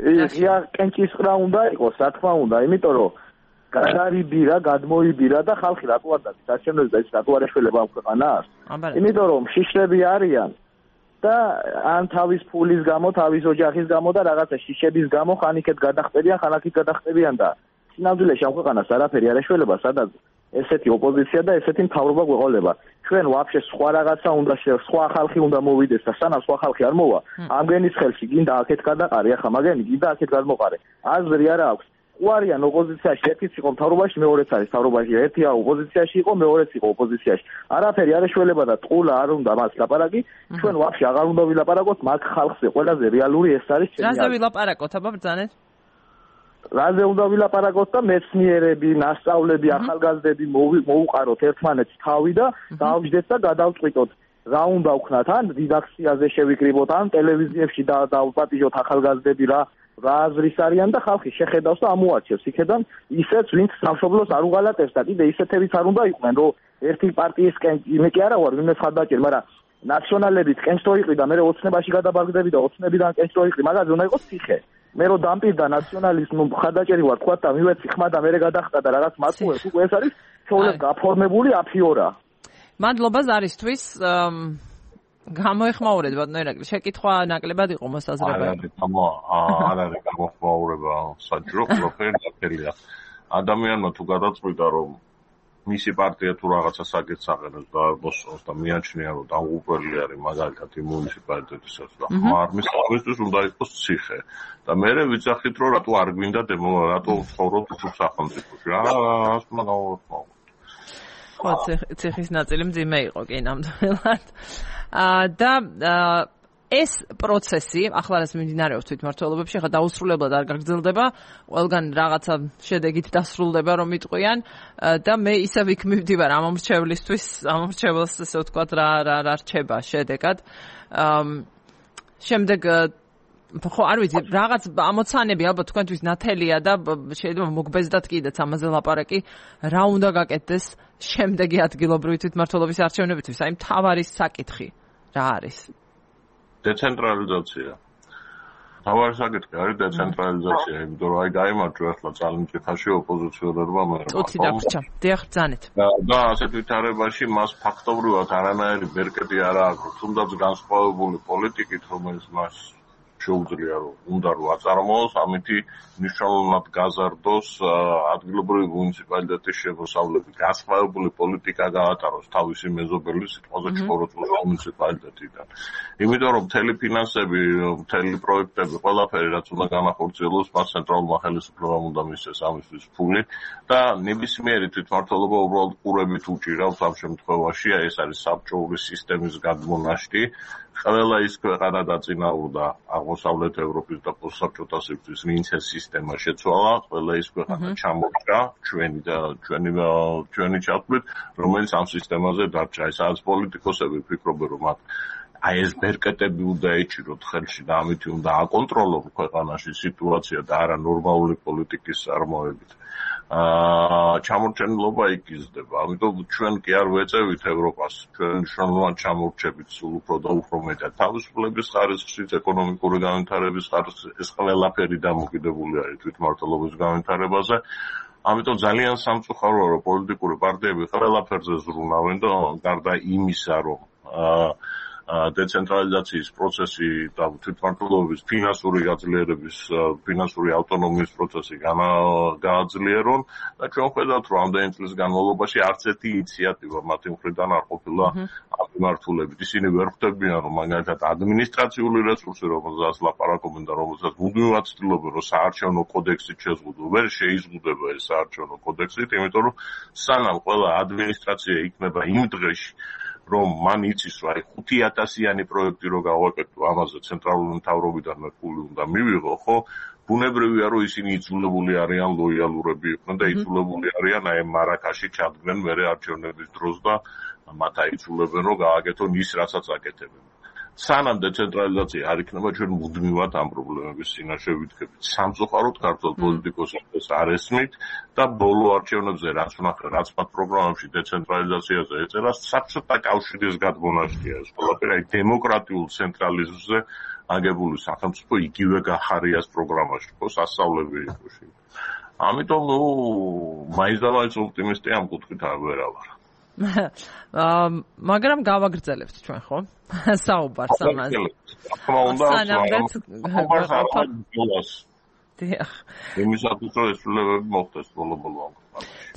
ღია კენჭისყრა უნდა იყოს, რა თქმა უნდა, იმიტომ რომ გადარიბირა, გადმოიბირა და ხალხი რატო არ დადის? არჩევნებს და ის რატო არ ეშველება ამ ქვეყანას? იმიტომ რომ შიშრები არიან და ან თავის ფულის გამო, თავის ოჯახის გამო და რაღაცა შიშების გამო ხან იქეთ გადახტებიან, ხან აქეთ გადახტებიან და სინამდვილეში ამ ქვეყანას არაფერი არ ეშველება, სადაც ესეთი ოპოზიცია და ესეთი მთავრობა გვეყოლება. ჩვენ ვაფშე სხვა რაღაცა უნდა სხვა ხალხი უნდა მოვიდეს და სანამ სხვა ხალხი არ მოვა, ამგენის ხელში გინდა აქეთ გადაყარე, ახლა მაგენი გინდა აქეთ გადმოყარე. აზრი არა აქვს. უარიან ოპოზიციაში, ერთიც იყო მთავრობაში, მეორეც არის მთავრობაში, ერთია ოპოზიციაში იყო, მეორეც იყო ოპოზიციაში. არაფერი არ ეშველება და ტყულა არ უნდა მას ლაპარაკი. ჩვენ ვაფშე აღარ უნდა ვილაპარაკოთ მაგ ხალხზე. ყველაზე რეალური ეს არის ჩემი. რაზე ვილაპარაკოთ, აბა ბრძანეთ? რაზე უნდა ვილაპარაკოთ და მეცნიერები, ნასწავლები, ახალგაზრდები მოუყაროთ ერთმანეთს თავი და დავჯდეთ და გადავწყვიტოთ. რა უნდა ვქნათ, ან редакციაზე შევიკრიბოთ, ან ტელევიზიებში დავპატიჟოთ ახალგაზრდები რა რა აზრის არიან და ხალხი შეხედავს და ამოაჩევს იქედან ისეც, ვინც სამშობლოს არ უღალატებს და კიდე ისეთებიც არ უნდა იყვნენ, რომ ერთი პარტიის მე კი არა ვარ, ვინმე ხარდაჭერ, მაგრამ ნაციონალებით კენჭს რო იყრი და მე ოცნებაში გადაბაგდები და ოცნებიდან კენჭს რო იყრი, მაგაზე უნდა იყოს ციხე. მე რო დამპირდა ნაციონალიზმი ხარდაჭერი ვარ, თქვა და მივეცი ხმა და მე გადახტა და რაღაც მაწუეს, უკვე ეს არის ჩვეულებრივ გაფორმებული აფიორა. მადლობა ზარისთვის. გამოეხმაურეთ ბატონო ირაკლი, შეკითხვა ნაკლებად იყო მოსაზრება. არ არის გამო არ არის გამოეხმაურება საჭირო, ყველაფერი ნათელია. ადამიანმა თუ გადაწყვიტა რომ მისი პარტია თუ რაღაცა საკითხს აყენებს და მოსწონს და მიაჩნია რომ დამღუპველი არის მაგალითად იმ მუნიციპალიტეტისაც და ხმარმის ამისთვის უნდა იყოს ციხე. და მე ვიცახით რომ რატო არ გვინდა რატო ვცხოვრობ უცხო სახელმწიფოში. რა რას უნდა გავეხმაუროთ. ხო, ციხის ნაწილი მძიმე იყო კი ნამდვილად. და ეს პროცესი ახლა რაც მიმდინარეობს თვითმმართველობებში, ახლა დაუსრულებლად არ გაგრძელდება, ყველგან რაღაცა შედეგით დასრულდება, რომ იტყვიან და მე ისევ იქ მივდივარ ამ მრჩევლისთვის, ამ მრჩეველს ესე ვთქვათ რა რა რა რჩება შედეგად. შემდეგ ხო არ ვიცი, რაღაც ამოცანები ალბათ თქვენთვის ნათელია და შეიძლება მოგბეზდათ კიდეც ამაზე ლაპარაკი, რა უნდა გაკეთდეს შემდეგი ადგილობრივი თვითმმართველობის არჩევნებისთვის, აი მთავარი საკითხი რა არის? დეცენტრალიზაცია. თავარი საკითხი არის დეცენტრალიზაცია, იმიტომ რომ აი გაიმარჯვა ახლა ძალიან კითხაში ოპოზიციონერმა მე. წუთი დაგვრჩა. დიახ, ბრძანეთ. და ასეთ ვითარებაში მას ფაქტობრივად არანაირი ბერკეტი არ აქვს, თუნდაც განსხვავებული პოლიტიკით, რომელიც მას შეუძლია რომ უნდა რომ აწარმოოს, ამითი მნიშვნელოვნად გაზარდოს ადგილობრივი მუნიციპალიტეტის შემოსავლები. განსხვავებული პოლიტიკა გაატაროს თავისი მეზობელი სიტყვაზე ჩხოროწყუს მუნიციპალიტეტიდან. იმიტომ რომ მთელი ფინანსები, მთელი პროექტები, ყველაფერი რაც უნდა განახორციელოს, მას ცენტრალურმა ხელისუფლებამ უნდა მისცეს ამისთვის ფული და ნებისმიერი თვითმმართველობა უბრალოდ ყურებით უჭირავს ამ შემთხვევაში, ეს არის საბჭოური სისტემის გადმონაშთი. ყველა ის ქვეყანა დაწინაურდა აღმოსავლეთ ევროპის და პოსტსაბჭოთა სივრცის, ვინც ეს სისტემა შეცვალა, ყველა ის ქვეყანა ჩამორჩა ჩვენი და ჩვენი ჩვენი ჩათვლით, რომელიც ამ სისტემაზე დარჩა. ეს არის პოლიტიკოსები ფიქრობენ, რომ მათ აი ეს ბერკეტები უნდა ეჭიროთ ხელში და ამით უნდა აკონტროლოს ქვეყანაში სიტუაცია და არა ნორმალური პოლიტიკის წარმოებით. აა ჩამორჩენილობა იგიზდება. ამიტომ ჩვენ კი არ ვეწევით ევროპას, ჩვენ მნიშვნელოვნად ჩამორჩებით სულ უფრო და უფრო მეტად თავისუფლების ხარისხით, ეკონომიკური განვითარების ხარისხით, ეს ყველაფერი დამოკიდებული არის თვითმმართველობის განვითარებაზე. ამიტომ ძალიან სამწუხაროა, რომ პოლიტიკური პარტიები ყველაფერზე ზრუნავენ და გარდა იმისა, რომ აა დეცენტრალიზაციის პროცესი და თვითმმართველობის ფინანსური გაძლიერების, ფინანსური ავტონომიის პროცესი გააძლიერონ და ჩვენ ხედავთ, რომ ამდენი წლის განმავლობაში არც ერთი ინიციატივა მათი მხრიდან არ ყოფილა ამ მიმართულებით. ისინი ვერ ხვდებიან, რომ მაგალითად ადმინისტრაციული რესურსი, რომელზეც ლაპარაკობენ და რომელზეც მუდმივად ცდილობენ, რომ საარჩევნო კოდექსით შეზღუდონ, ვერ შეიზღუდება ეს საარჩევნო კოდექსით, იმიტომ რომ სანამ ყველა ადმინისტრაცია იქნება იმ დღეში რომ მან იცის, რომ აი ხუთი ათასიანი პროექტი რო გავაკეთო, ამაზე ცენტრალური მთავრობიდან ფული უნდა მივიღო, ხო? ბუნებრივია, რომ ისინი იძულებული არიან ლოიალურები იყვნენ და იძულებული არიან აი მარაკაში ჩადგნენ მერე არჩევნების დროს და მათ აიძულებენ, რომ გააკეთონ ის, რასაც აკეთებენ. სანამ დეცენტრალიზაცია არ იქნება, ჩვენ მუდმივად ამ პრობლემების წინაშე ვიდგებით. სამწუხაროდ ქართულ პოლიტიკოსებს არ ესმით და ბოლო არჩევნებზე რაც ვნახე, რაც მათ პროგრამებში დეცენტრალიზაციაზე ეწერა, საბჭოთა კავშირის გადმონაშთია ეს ყველაფერი, აი დემოკრატიულ ცენტრალიზმზე აგებული სახელმწიფო იგივე გახარიას პროგრამაში, ხო, სასწავლები იყო. ამიტომ ნუ მაინც და მაინც ოპტიმისტი ამ კუთხით ვერ ვარ. მაგრამ გავაგრძელებთ ჩვენ, ხო? საუბარს ამაზე. თქმა უნდა, დიახ. იმისათვის რომ ესრულებები მოხდეს ბოლო-ბოლო.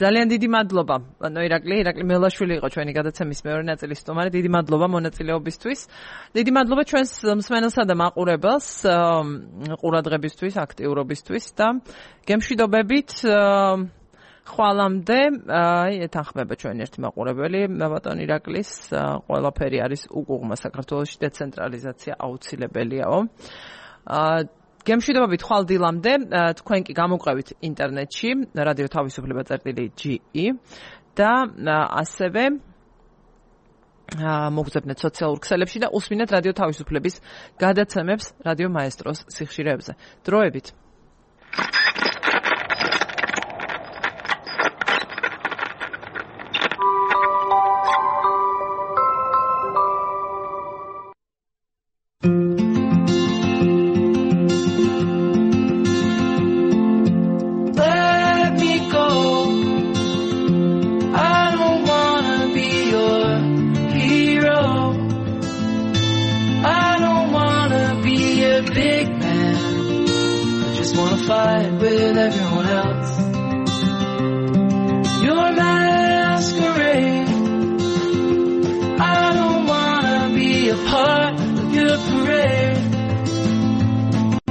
ძალიან დიდი მადლობა. ანუ ირაკლი, ირაკლი მელაშვილი იყო ჩვენი გადაცემის მეორე ნაწილის სტუმარი. დიდი მადლობა მონაწილეობისთვის. დიდი მადლობა ჩვენს მსმენელსა და მაყურებელს ყურადღებისთვის, აქტიურობისთვის და გემშვიდობებით ხვალამდე აი ეთანხმება ჩვენ ერთი მაყურებელი ბატონ ირაკლის ყველაფერი არის უკუღმა საქართველოში დეცენტრალიზაცია აუცილებელიაო. გემშვიდობებით ხვალ დილამდე თქვენ კი გამოგვყევით ინტერნეტში რადიო თავისუფლება წერტილი ჯი ი და ასევე მოგზავნეთ სოციალურ ქსელებში და უსმინეთ რადიო თავისუფლების გადაცემებს რადიო მაესტროს სიხშირეებზე. დროებით. Fight with everyone else. You're masquerade. I don't wanna be a part of your parade.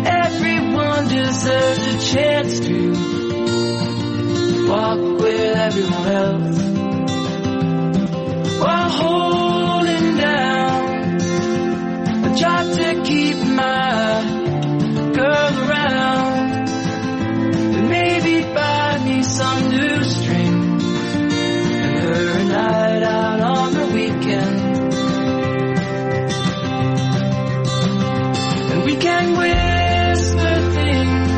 Everyone deserves a chance to walk with everyone else while holding down a job to keep my girl around. Maybe buy me some new strings and her a night out on the weekend. And we can whisper things,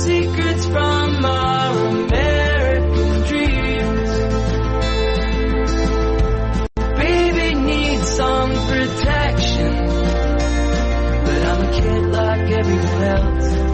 secrets from our American dream. everyone else.